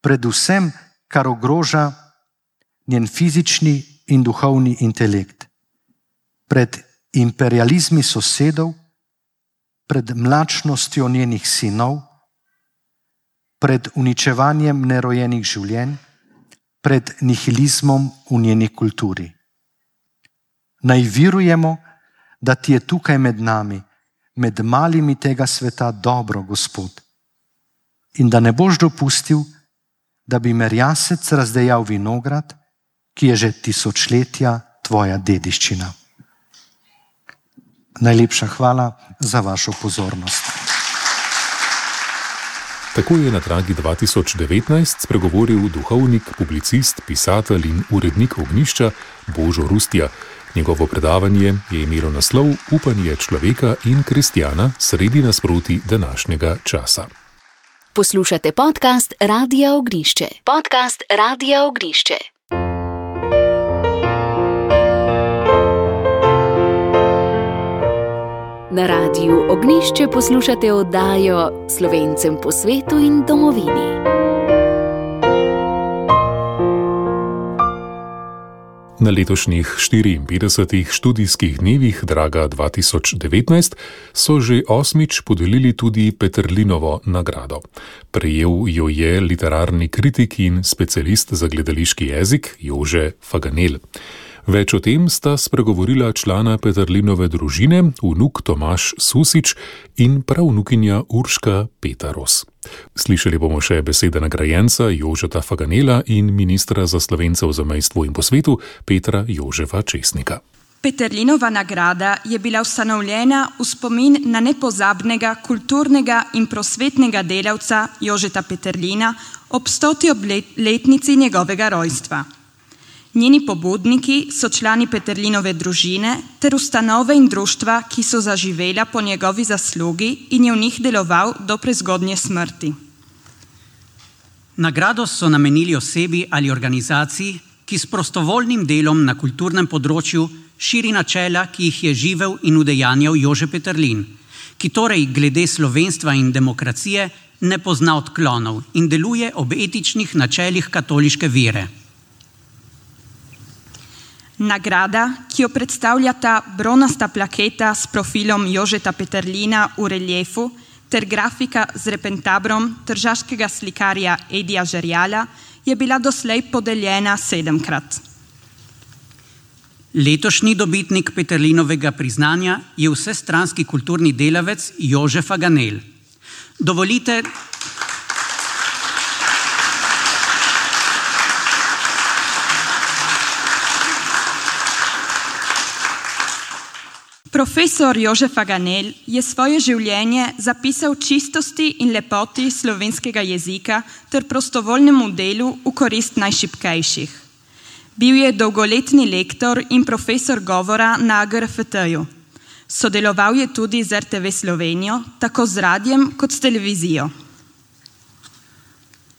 Predvsem, kar ogroža njen fizični in duhovni intelekt. Pred imperializmi sosedov, pred mlačnostjo njenih sinov, pred uničevanjem nerojenih življenj, pred nihilizmom v njeni kulturi. Naj virujemo, da ti je tukaj med nami, med malimi tega sveta dobro, Gospod, in da ne boš dopustil, da bi merjasec razdejal vinograd, ki je že tisočletja tvoja dediščina. Najlepša hvala za vašo pozornost. Tako je na Dragi 2019 spregovoril duhovnik, publicist, pisatelj in urednik Ognjišča Božo Rustja. Njegovo predavanje je imelo naslov Upanje človeka in kristjana sredi nasprotij današnjega časa. Poslušate podcast Radia Ognjišče. Podcast Radia Ognjišče. Na Radiu Ognjišče poslušate oddajo Slovencem po svetu in domovini. Na letošnjih 54. študijskih dnevih Draga 2019 so že 8. podelili tudi Peterlinovo nagrado. Prejel jo je literarni kritik in specialist za gledališki jezik Jože Faganel. Več o tem sta spregovorila člana Peterlinove družine, vnuk Tomaž Susič in pravnukinja Urška Petaros. Slišali bomo še besede nagrajenca Jožeta Faganela in ministra za Slovence v zamejstvu in po svetu Petra Jožefa Česnika. Peterlinova nagrada je bila ustanovljena v spomin na nepozabnega kulturnega in prosvetnega delavca Jožeta Peterlina ob 100. obletnici njegovega rojstva. Njeni pobudniki so člani Peterlinove družine ter ustanove in društva, ki so zaživela po njegovi zaslugi in je v njih deloval do prezgodnje smrti. Nagrado so namenili osebi ali organizaciji, ki s prostovoljnim delom na kulturnem področju širi načela, ki jih je živel in udejanjal Jože Peterlin, ki torej glede slovenstva in demokracije ne pozna odklonov in deluje ob etičnih načelih katoliške vere. Nagrada, ki jo predstavljata bronasta plaketa s profilom Jožeta Peterlina v reliefu ter grafika z repentabrom tržaškega slikarja Edija Žerjala, je bila doslej podeljena 7-krat. Letošnji dobitnik Peterlinovega priznanja je vsestranski kulturni delavec Jože Faganel. Dovolite, Profesor Jože Faganel je svoje življenje zapisal čistosti in lepoti slovenskega jezika ter prostovoljnemu delu v korist najšibkejših. Bil je dolgoletni lektor in profesor govora na AGRFT-ju. Sodeloval je tudi z RTV Slovenijo, tako z radiem kot s televizijo.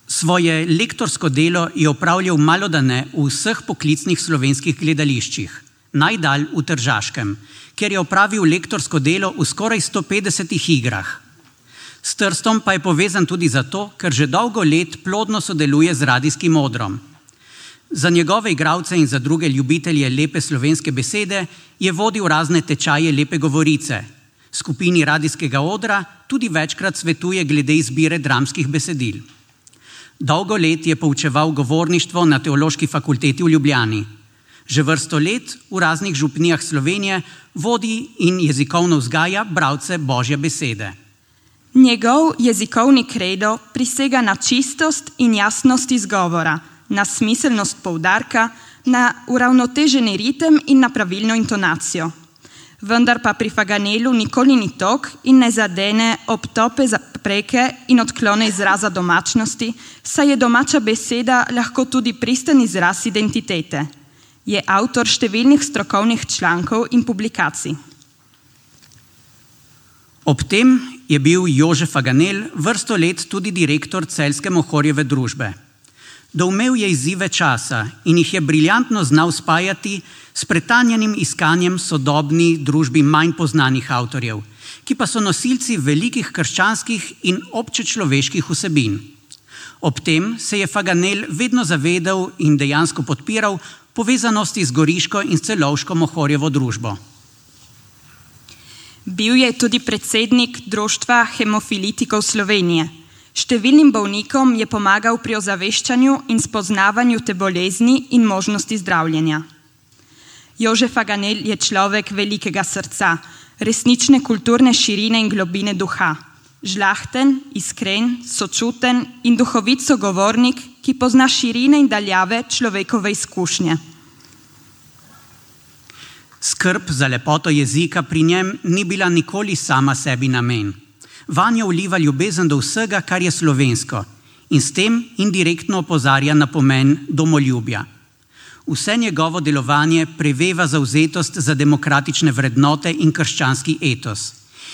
Svoje lektorsko delo je opravljal malodane v vseh poklicnih slovenskih gledališčih, najdalj v Tržaškem, ker je opravil lektorsko delo v skoraj 150 igrah. S Trstom pa je povezan tudi zato, ker že dolgo let plodno sodeluje z radijskim odrom. Za njegove igralce in za druge ljubitelje lepe slovenske besede je vodil razne tečaje lepe govorice. Skupini radijskega odra tudi večkrat svetuje glede izbire dramskih besedil. Dolgo let je poučeval govorništvo na Teološki fakulteti v Ljubljani. Že vrsto let v raznih župnijah Slovenije vodi in jezikovno vzgaja bralce Božje besede. Njegov jezikovni kredo prisega na čistost in jasnost izgovora, na smiselnost poudarka, na uravnoteženi ritem in na pravilno intonacijo. Vendar pa pri Faganelu nikoli ni tok in ne zadene obtope zapreke in odklone izraza domačnosti, saj je domača beseda lahko tudi pristen izraz identitete. Je avtor številnih strokovnih člankov in publikacij. Ob tem je bil Jože Faganel vrsto let tudi direktor Celjske Mohorjeve družbe. Doumel je izzive časa in jih je briljantno znal spajati s pretanjenim iskanjem sodobni družbi manj poznanih avtorjev, ki pa so nosilci velikih krščanskih in občečloveških vsebin. Ob tem se je Faganel vedno zavedal in dejansko podpiral povezanosti z Goriško in Celovško Mohorjevo družbo. Bil je tudi predsednik Društva hemofilitikov Slovenije. Številnim bolnikom je pomagal pri ozaveščanju in spoznavanju te bolezni in možnosti zdravljenja. Jože Faganel je človek velikega srca, resnične kulturne širine in globine duha. Žlahten, iskren, sočuten in duhovit sogovornik, ki pozna širine in daljave človekove izkušnje. Skrb za lepoto jezika pri njem ni bila nikoli sama sebi namen. Vanjo vliva ljubezen do vsega, kar je slovensko, in s tem indirektno opozarja na pomen domoljubja. Vse njegovo delovanje preveva zavzetost za demokratične vrednote in krščanski etos.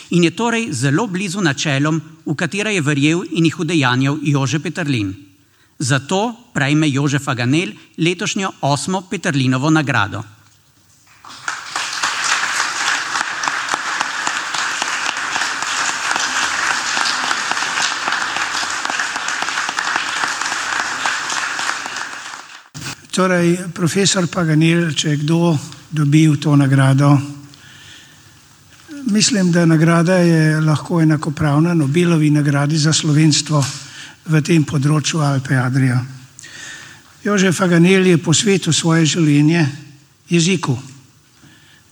In je torej zelo blizu načelom, v katera je verjel in jih udejanjal Jože Peterlin. Zato prejme Jože Faganel letošnjo 8. Peterlinovo nagrado. Torej, profesor Faganel, če je kdo dobil to nagrado, mislim, da nagrada je lahko enakopravna Nobelovi nagradi za slovenstvo v tem področju Alpe Adria. Jože Faganel je posvetil svoje življenje jeziku.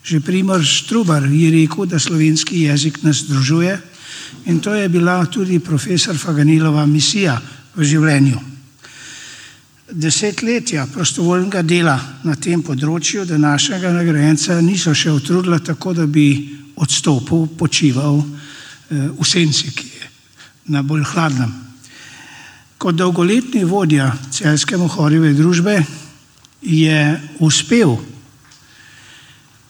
Že Primož Trubar je rekel, da slovenski jezik nas združuje, in to je bila tudi profesor Faganelova misija v življenju. Desetletja prostovoljnega dela na tem področju današnjega nagrajenca niso še utrudila tako, da bi odstopil, počival v senci, ki je na bolj hladnem. Kot dolgoletni vodja Celjske Mohorjeve družbe je uspel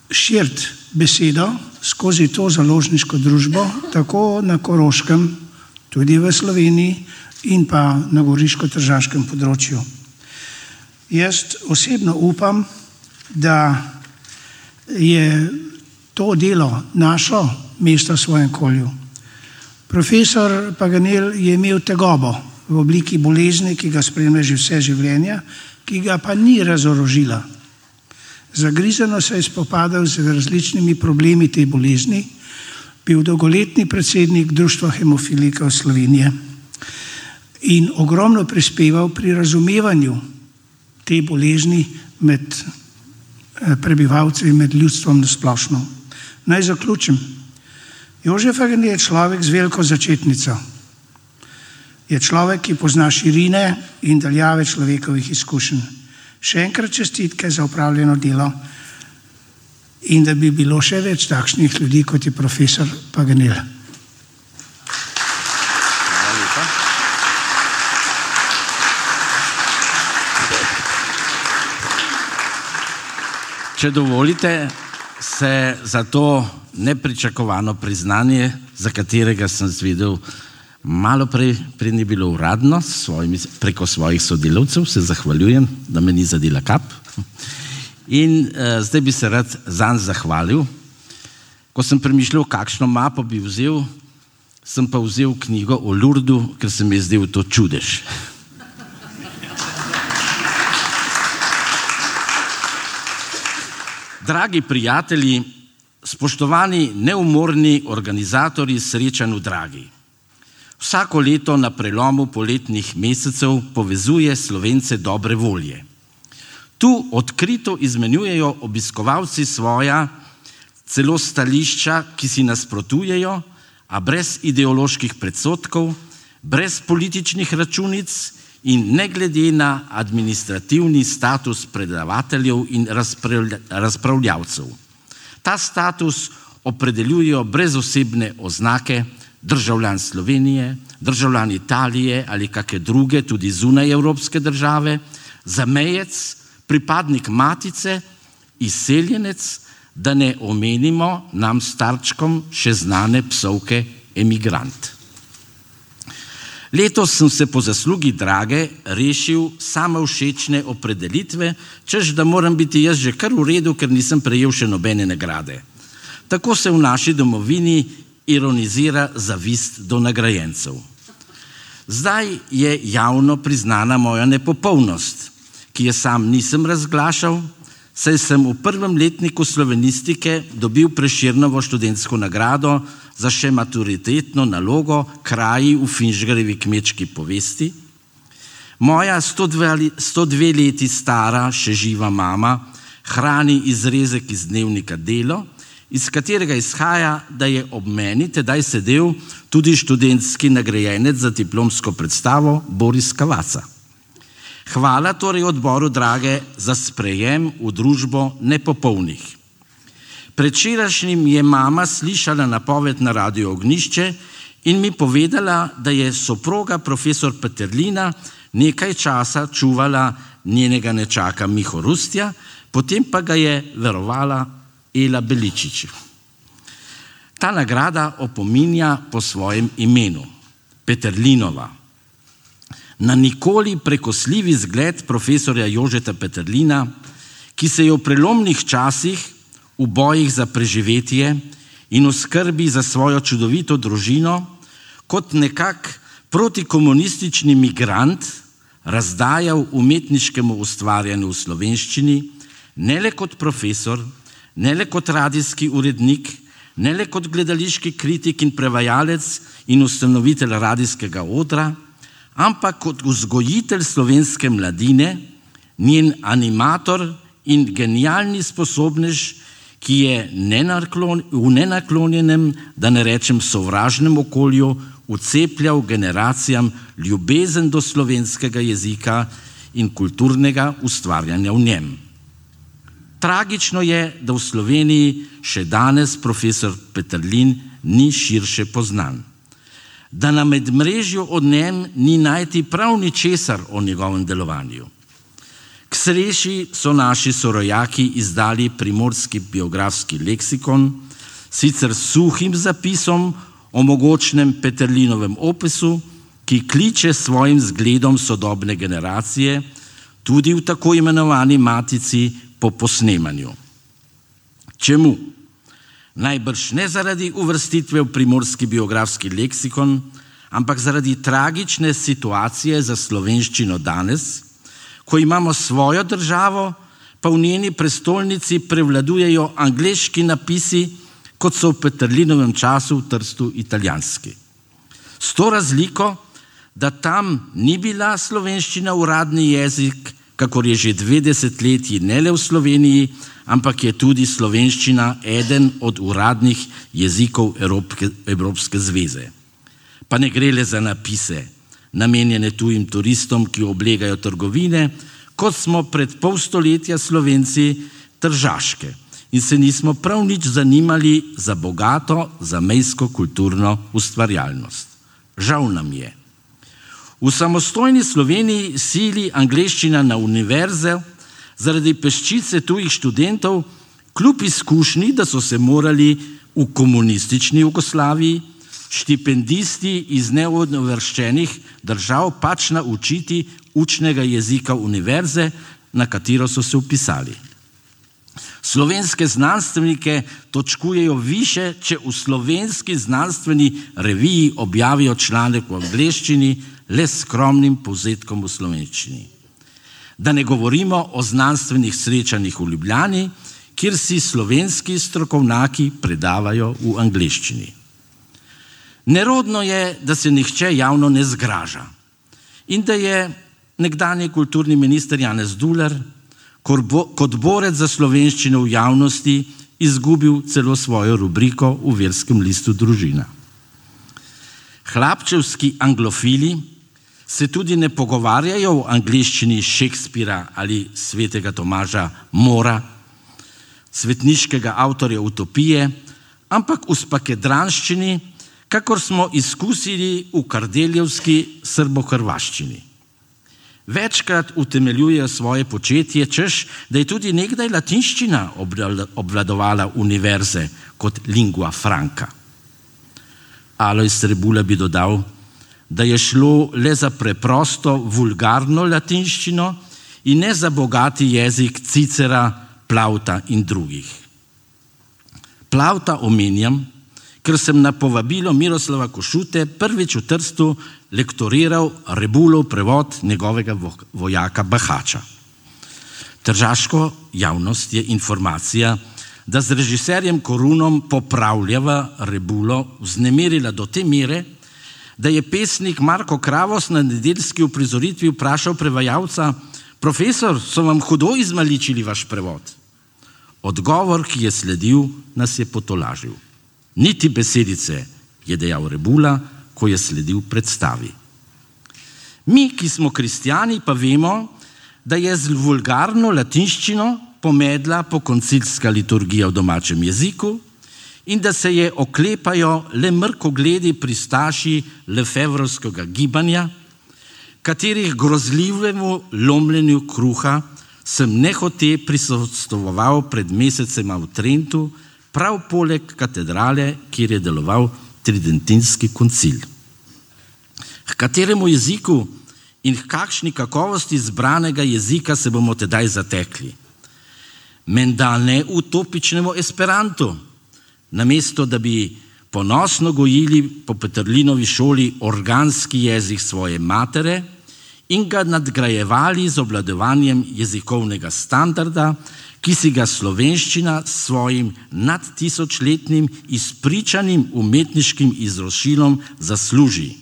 širiti besedo skozi to založniško družbo, tako na Koroškem, tudi v Sloveniji in pa na goriško-tržaškem področju. Jaz osebno upam, da je to delo našlo mesto v svojem okolju. Profesor Faganel je imel tegobo v obliki bolezni, ki ga spremlja že vse življenje, ki ga pa ni razorožila. Zagrizeno se je spopadal z različnimi problemi te bolezni, bil dolgoletni predsednik Društva hemofilikov Slovenije in ogromno prispeval pri razumevanju te bolezni med prebivalci in med ljudstvom nasplošno. Naj zaključim. Jožef Faganel je človek z veliko začetnico. Je človek, ki pozna širine in daljave človekovih izkušenj. Še enkrat čestitke za opravljeno delo in da bi bilo še več takšnih ljudi, kot je profesor Faganel. Če dovolite, se za to nepričakovano priznanje, za katerega sem zvedel malo prej ni bilo uradno, preko svojih sodelavcev, se zahvaljujem, da me ni zadela kap. In zdaj bi se rad zanj zahvalil. Ko sem premišljal, kakšno mapo bi vzel, sem pa vzel knjigo o Lurdu, ker se mi je zdel to čudež. Dragi prijatelji, spoštovani neumorni organizatorji srečanj v Dragi. Vsako leto na prelomu poletnih mesecev povezuje Slovence dobre volje. Tu odkrito izmenjujejo obiskovalci svoja celo stališča, ki si nasprotujejo, a brez ideoloških predsodkov, brez političnih računic in ne glede na administrativni status predavateljev in razpravljavcev. Ta status opredeljujejo brez osebne oznake državljan Slovenije, državljan Italije ali kakšne druge, tudi zunaj evropske države, zamejec, pripadnik matice, izseljenec, da ne omenimo nam starčkom še znane psovke emigrant. Letos sem se po zaslugi Drage rešil samovšečne opredelitve, češ da moram biti jaz že kar v redu, ker nisem prejel še nobene nagrade. Tako se v naši domovini ironizira zavist do nagrajencev. Zdaj je javno priznana moja nepopolnost, ki je sam nisem razglašal, saj sem v prvem letniku slovenistike dobil Prešernovo študentsko nagrado za še maturitetno nalogo Kraji v Finžgarjevi kmečki povesti. Moja 102 leti stara, še živa mama hrani izrezek iz dnevnika Delo, iz katerega izhaja, da je ob meni tedaj sedel tudi študentski nagrajenec za diplomsko predstavo Boris Kavaca. Hvala torej odboru Drage za sprejem v družbo nepopolnih. Predvčerajšnjim je mama slišala napoved na Radiu Ognjišče in mi povedala, da je soproga profesor Peterlina nekaj časa čuvala njenega nečaka Miho Rustja, potem pa ga je verovala Ela Beličič. Ta nagrada opominja po svojem imenu, Peterlinova, na nikoli prekosljivi zgled profesorja Jožeta Peterlina, ki se je v prelomnih časih v bojih za preživetje in v skrbi za svojo čudovito družino kot nekak protikomunistični migrant razdajal umetniškemu ustvarjanju v slovenščini, ne le kot profesor, ne le kot radijski urednik, ne le kot gledališki kritik in prevajalec in ustanovitelj radijskega odra, ampak kot vzgojitelj slovenske mladine, njen animator in genialni sposobnež, ki je v nenaklonjenem, da ne rečem sovražnem okolju, vcepljal generacijam ljubezen do slovenskega jezika in kulturnega ustvarjanja v njem. Tragično je, da v Sloveniji še danes profesor Peterlin ni širše poznan. Da na medmrežju o njem ni najti prav ničesar o njegovem delovanju. K sreči so naši sorojaki izdali Primorski biografski leksikon, sicer s suhim zapisom o mogočnem Peterlinovem opisu, ki kliče svojim zgledom sodobne generacije, tudi v tako imenovani matici po posnemanju. Čemu? Najbrž ne zaradi uvrstitve v Primorski biografski leksikon, ampak zaradi tragične situacije za slovenščino danes, ko imamo svojo državo, pa v njeni prestolnici prevladujejo angleški napisi, kot so v Peterlinovem času v Trstu italijanski. S to razliko, da tam ni bila slovenščina uradni jezik, kakor je že 2 desetletji ne le v Sloveniji, ampak je tudi slovenščina eden od uradnih jezikov Evropske zveze. Pa ne gre le za napise, namenjene tujim turistom, ki oblegajo trgovine, kot smo pred pol stoletja Slovenci tržaške in se nismo prav nič zanimali za bogato zamejsko kulturno ustvarjalnost. Žal nam je. V samostojni Sloveniji sili angleščina na univerze zaradi peščice tujih študentov, kljub izkušnji, da so se morali v komunistični Jugoslaviji štipendisti iz neuvrščenih držav pač naučiti učnega jezika univerze, na katero so se vpisali. Slovenske znanstvenike točkujejo više, če v slovenski znanstveni reviji objavijo članek v angleščini le s skromnim povzetkom v slovenščini. Da ne govorimo o znanstvenih srečanjih v Ljubljani, kjer si slovenski strokovnjaki predavajo v angleščini. Nerodno je, da se nihče javno ne zgraža in da je nekdanji kulturni minister Janez Dular kot borec za slovenščino v javnosti izgubil celo svojo rubriko v verskem listu Družina. Hlapčevski anglofili se tudi ne pogovarjajo v angleščini Šekspira ali svetega Tomaža Mora, svetniškega avtorja Utopije, ampak v spakedranščini, kakor smo izkusili v kardeljevski srbo-hrvaščini. Večkrat utemeljujejo svoje početje, češ, da je tudi nekdaj latinščina obvladovala univerze kot lingua franca. Alojz Rebula bi dodal, da je šlo le za preprosto vulgarno latinščino in ne za bogati jezik Cicera, Plauta in drugih. Plauta omenjam, ker sem na povabilo Miroslava Košute prvič v Trstu lektoriral Rebulov prevod njegovega vojaka Bahača. Tržaško javnost je informacija, da z režiserjem Korunom popravljava Rebulo vznemirila do te mere, da je pesnik Marko Kravos na nedeljski uprizoritvi vprašal prevajalca: profesor, so vam hudo izmaličili vaš prevod? Odgovor, ki je sledil, nas je potolažil. Niti besedice, je dejal Rebula, ko je sledil predstavi. Mi, ki smo kristjani, pa vemo, da je z vulgarno latinščino pomedla pokoncilska liturgija v domačem jeziku in da se je oklepajo le mrkogledi pristaši lefevrovskega gibanja, katerih grozljivemu lomljenju kruha sem nehote prisostvoval pred mesecema v Trentu, prav poleg katedrale, kjer je deloval tridentinski koncil. K kateremu jeziku in k kakšni kakovosti izbranega jezika se bomo tedaj zatekli? Menda ne utopičnemu esperantu, namesto da bi ponosno gojili po Peterlinovi šoli organski jezik svoje matere in ga nadgrajevali z obvladovanjem jezikovnega standarda, ki si ga slovenščina s svojim nadtisočletnim izpričanim umetniškim izročilom zasluži.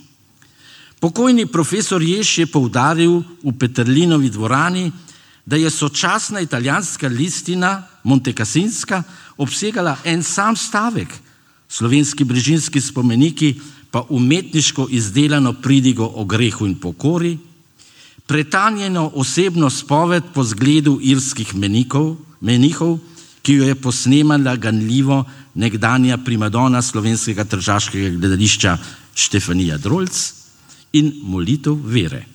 Pokojni profesor Jež je poudaril v Peterlinovi dvorani, da je sočasna italijanska listina Montecasinska obsegala en sam stavek, slovenski brežinski spomeniki pa umetniško izdelano pridigo o grehu in pokori, pretanjeno osebno spoved po zgledu irskih menihov, ki jo je posnemala ganljivo nekdanja primadona slovenskega tržaškega gledališča Štefanija Drolc, in molitev vere.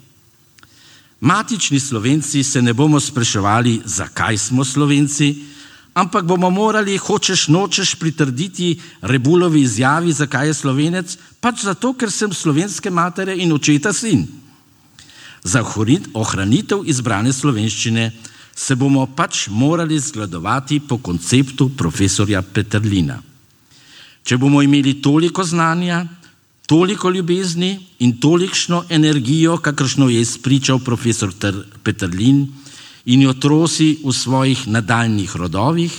Matični Slovenci se ne bomo spraševali, zakaj smo Slovenci, ampak bomo morali, hočeš nočeš, pritrditi Rebulovi izjavi, zakaj je Slovenec, pač zato, ker sem slovenske matere in očeta sin. Za ohranitev izbrane slovenščine se bomo pač morali zgledovati po konceptu profesorja Peterlina. Če bomo imeli toliko znanja, toliko ljubezni in tolikšno energijo, kakršno je izpričal profesor Peterlin, in jo trosi v svojih nadaljnjih rodovih,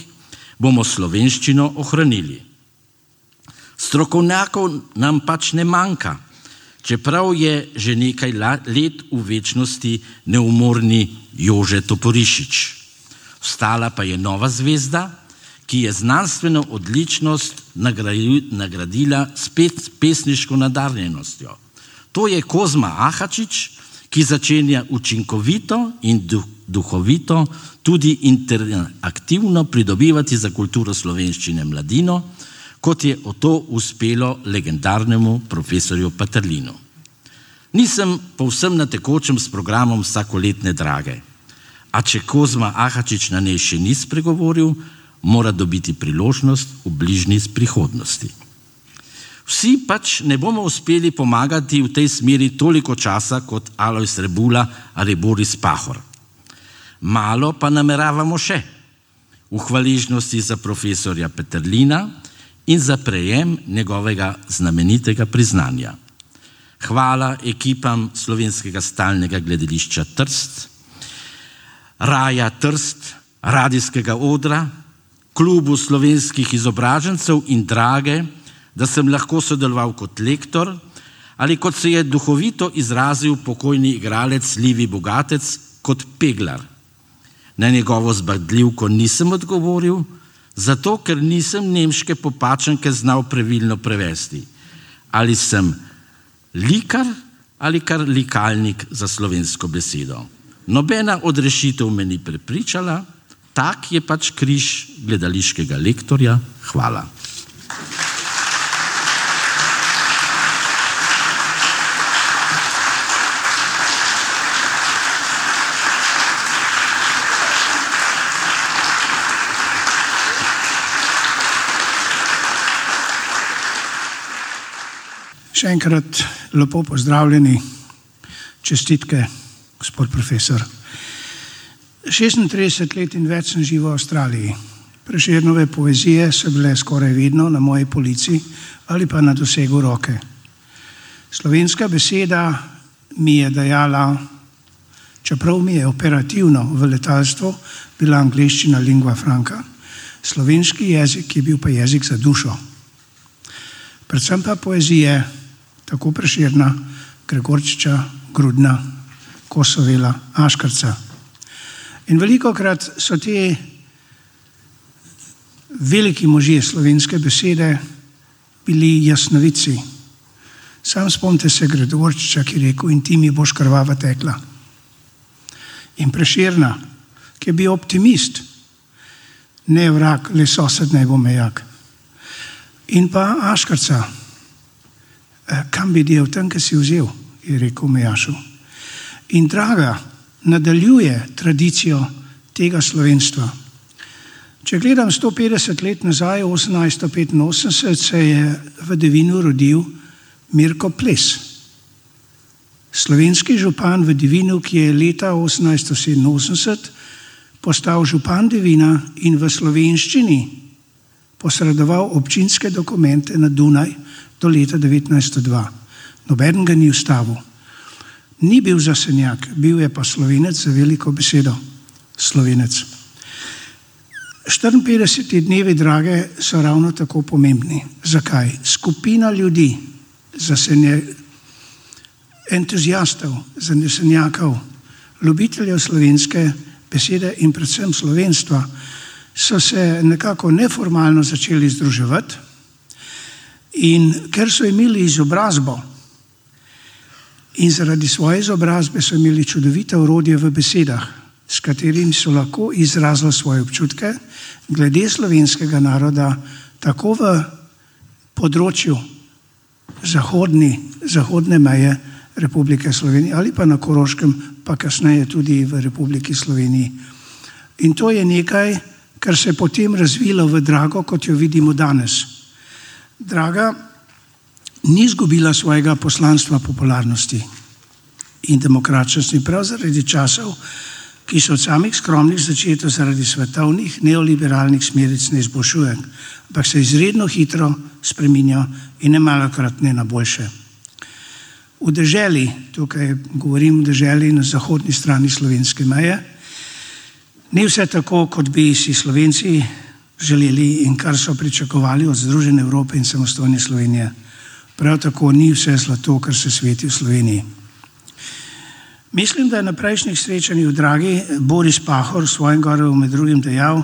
bomo slovenščino ohranili. Strokovnjakov nam pač ne manjka, čeprav je že nekaj let v večnosti neumorni Jože Toporišič. Vstala pa je nova zvezda, ki je znanstveno odličnost nagradila spet pesniško nadarjenostjo. To je Kozma Ahačič, ki začenja učinkovito in duhovito tudi interaktivno pridobivati za kulturo slovenščine mladino, kot je to uspelo legendarnemu profesorju Peterlinu. Nisem povsem na tekočem s programom vsakoletne drage, a če Kozma Ahačič na njej še ni spregovoril, mora dobiti priložnost v bližnji prihodnosti. Vsi pač ne bomo uspeli pomagati v tej smeri toliko časa kot Alojz Rebula ali Boris Pahor. Malo pa nameravamo še v hvaležnosti za profesorja Peterlina in za prejem njegovega znamenitega priznanja. Hvala ekipam Slovenskega stalnega gledališča Trst, Raja Trst, radijskega odra, klubu slovenskih izobražencev in Drage, da sem lahko sodeloval kot lektor ali kot se je duhovito izrazil pokojni igralec Livi Bogatec kot peglar. Na njegovo zbadljivko nisem odgovoril, zato ker nisem nemške popačenke znal pravilno prevesti. Ali sem likar ali kar likalnik za slovensko besedo. Nobena od rešitev me ni prepričala, tak je pač križ gledališkega lektorja. Hvala. Še enkrat lepo pozdravljeni, čestitke, gospod profesor. 36 let in več sem živel v Avstraliji. Prešernove poezije so bile skoraj vedno na moji polici ali pa na dosegu roke. Slovenska beseda mi je dajala, čeprav mi je operativno v letalstvu bila angleščina lingua franca, slovenski jezik je bil pa jezik za dušo. Predvsem pa poezije, tako Prešerna, Gregorčiča, Grudna, Kosovela, Aškarca. In velikokrat so te veliki možje slovenske besede bili jasnovidci. Sam spomnite se Gregorčiča, ki je rekel, in ti mi boš krvava tekla. In Prešerna, ki je bil optimist, ne vrag, le sosed naj bo mejak. In pa Aškarca, kam bi del tam, ki si vzel, je rekel Mejašu. In Draga nadaljuje tradicijo tega slovenstva. Če gledam 150 let nazaj, 1885, se je v Devinu rodil Mirko Ples. Slovenski župan v Devinu, ki je leta 1887 postal župan Devina in v slovenščini posredoval občinske dokumente na Dunaj do leta 1902. Nobeden ga ni ustavil. Ni bil zasenjak, bil je pa Slovenec za veliko besedo. Slovenec. 54 dnevi Drage so ravno tako pomembni. Zakaj? Skupina ljudi, entuzijastov, zanesenjakov, ljubiteljev slovenske besede in predvsem slovenstva, so se nekako neformalno začeli združevati in ker so imeli izobrazbo in zaradi svoje izobrazbe so imeli čudovite orodje v besedah, s katerimi so lahko izrazili svoje občutke glede slovenskega naroda, tako v področju zahodne meje Republike Slovenije ali pa na Koroškem, pa kasneje tudi v Republiki Sloveniji. In to je nekaj, kar se je potem razvilo v Drago, kot jo vidimo danes. Draga ni izgubila svojega poslanstva popularnosti in demokratičnosti prav zaradi časov, ki so od samih skromnih začetkov zaradi svetovnih neoliberalnih smeric ne izboljšuje, ampak se izredno hitro spreminja in nemalokrat ne na boljše. V deželi, tukaj govorim o deželi na zahodni strani slovenske meje, Ni vse tako, kot bi si Slovenci želeli in kar so pričakovali od Združene Evrope in samostojne Slovenije. Prav tako ni vse zlato, kar se sveti v Sloveniji. Mislim, da je na prejšnjih srečanjih v Dragi Boris Pahor v svojem govoru med drugim dejal,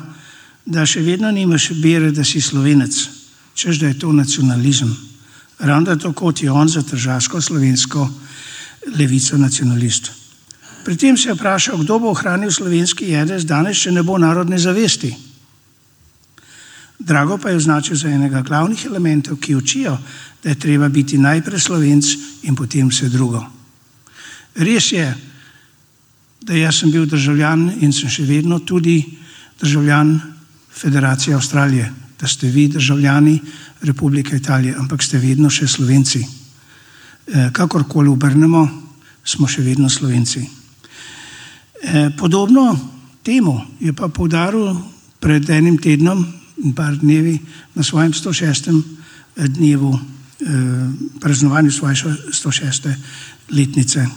da še vedno nimaš bere, da si Slovenec, češ da je to nacionalizem. Ravno tako kot je on za tržaško slovensko levico nacionalist. Pri tem se je vprašal, kdo bo ohranil slovenski jedec danes, če ne bo narodne zavesti. Drago pa je označil za enega glavnih elementov, ki učijo, da je treba biti najprej Slovenc in potem vse drugo. Res je, da jaz sem bil državljan in sem še vedno tudi državljan Federacije Avstralije, da ste vi državljani Republike Italije, ampak ste vedno še Slovenci. Kakorkoli obrnemo, smo še vedno Slovenci. Podobno temu je pa poudaril pred enim tednom in par dnevi na svojem 106. dnevu, praznovanju svoje 106. letnice.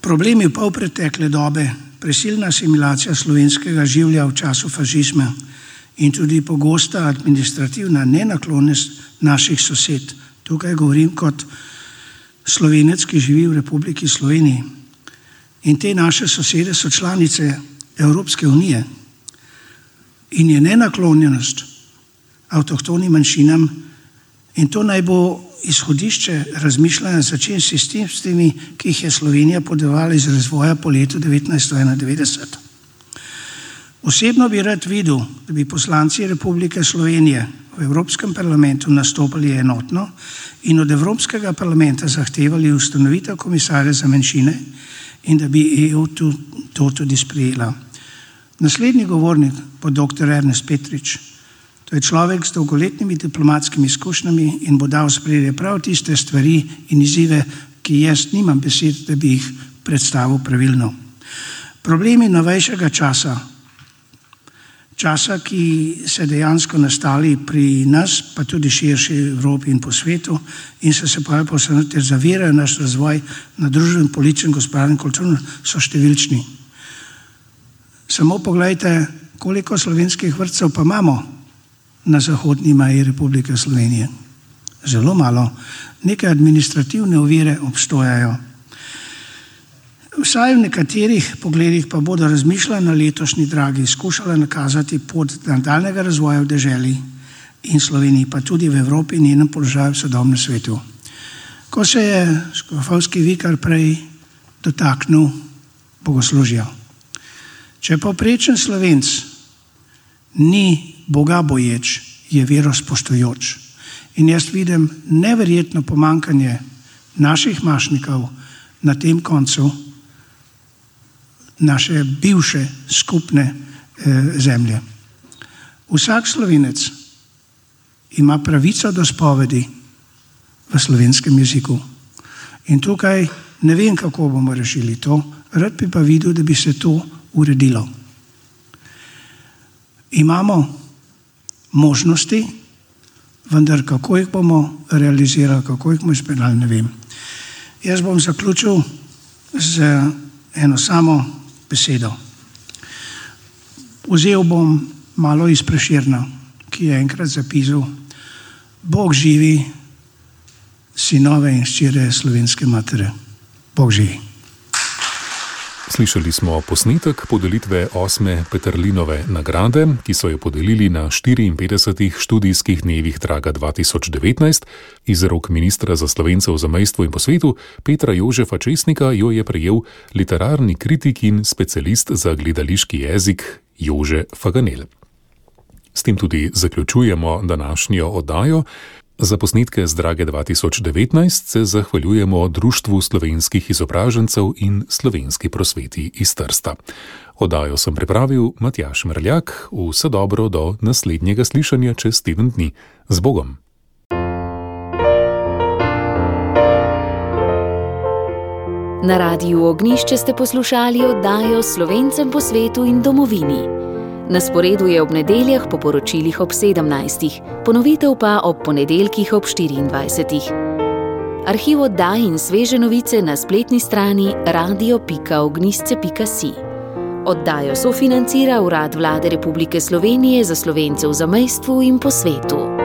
Problemi v polpretekle dobe, prisilna asimilacija slovenskega življa v času fašizma in tudi pogosta administrativna nenaklonjenost naših sosed. Tukaj govorim kot Slovenec, ki živi v Republiki Sloveniji. In te naše sosede so članice Evropske unije in je nenaklonjenost avtohtonim manjšinam in to naj bo izhodišče razmišljanja začen s tistimi, ki jih je Slovenija podevala iz razvoja po letu 1991. Osebno bi rad videl, da bi poslanci Republike Slovenije v Evropskem parlamentu nastopali enotno in od Evropskega parlamenta zahtevali ustanovitev komisarja za manjšine in da bi EU to tudi sprejela. Naslednji govornik bo dr. Ernest Petrič. To je človek s dolgoletnimi diplomatskimi izkušnjami in bo dal sprejeti prav tiste stvari in izzive, ki jaz nimam besed, da bi jih predstavil pravilno. Problemi novejšega časa, ki se dejansko nastali pri nas, pa tudi širši v Evropi in po svetu in se posebej zavirajo naš razvoj na družbenem, političnem, gospodarskem, kulturnem, so številčni. Samo pogledajte, koliko slovenskih vrtcev pa imamo na zahodni meji Republike Slovenije. Zelo malo. Neke administrativne ovire obstojajo. Vsaj v nekaterih pogledih pa bodo razmišljali na letošnji Dragi, skušali nakazati pot nadaljnjega razvoja v deželi in Sloveniji, pa tudi v Evropi in njenem položaju v sodobnem svetu. Ko se je škofovski vikar prej dotaknil bogoslužja. Če povprečen Slovenc ni Boga boječ, je verospoštujoč. In jaz vidim neverjetno pomankanje naših mašnikov na tem koncu naše bivše skupne zemlje. Vsak Slovenec ima pravico do spovedi v slovenskem jeziku. In tukaj ne vem, kako bomo rešili to, rad bi pa videl, da bi se to uredilo. Imamo možnosti, vendar kako jih bomo realizirali, kako jih bomo izpeljali, ne vem. Jaz bom zaključil z eno samo besedo. Vzel bom malo iz Prešerna, ki je enkrat zapisal: Bog živi, sinove in hčere slovenske matere. Bog živi. Slišali smo posnetek podelitve 8. Peterlinove nagrade, ki so jo podelili na 54. študijskih dnevih Draga 2019. Iz rok ministra za Slovence v zamejstvu in po svetu Petra Jožefa Česnika jo je prejel literarni kritik in specialist za gledališki jezik Jože Faganel. S tem tudi zaključujemo današnjo oddajo. Za posnetke z Drage 2019 se zahvaljujemo Društvu slovenskih izobražencev in Slovenski prosveti iz Trsta. Oddajo sem pripravil Matjaž Mrljak. Vse dobro do naslednjega slišanja čez teden dni. Z Bogom! Na Radiu Ognjišče ste poslušali oddajo Slovencem po svetu in domovini. Na sporedu je ob nedeljah po poročilih ob 17. Ponovitev pa ob ponedeljkih ob 24. Arhiv oddaj in sveže novice na spletni strani radio.ognjišče.si. Oddajo sofinancira Urad Vlade Republike Slovenije za Slovence v zamejstvu in po svetu.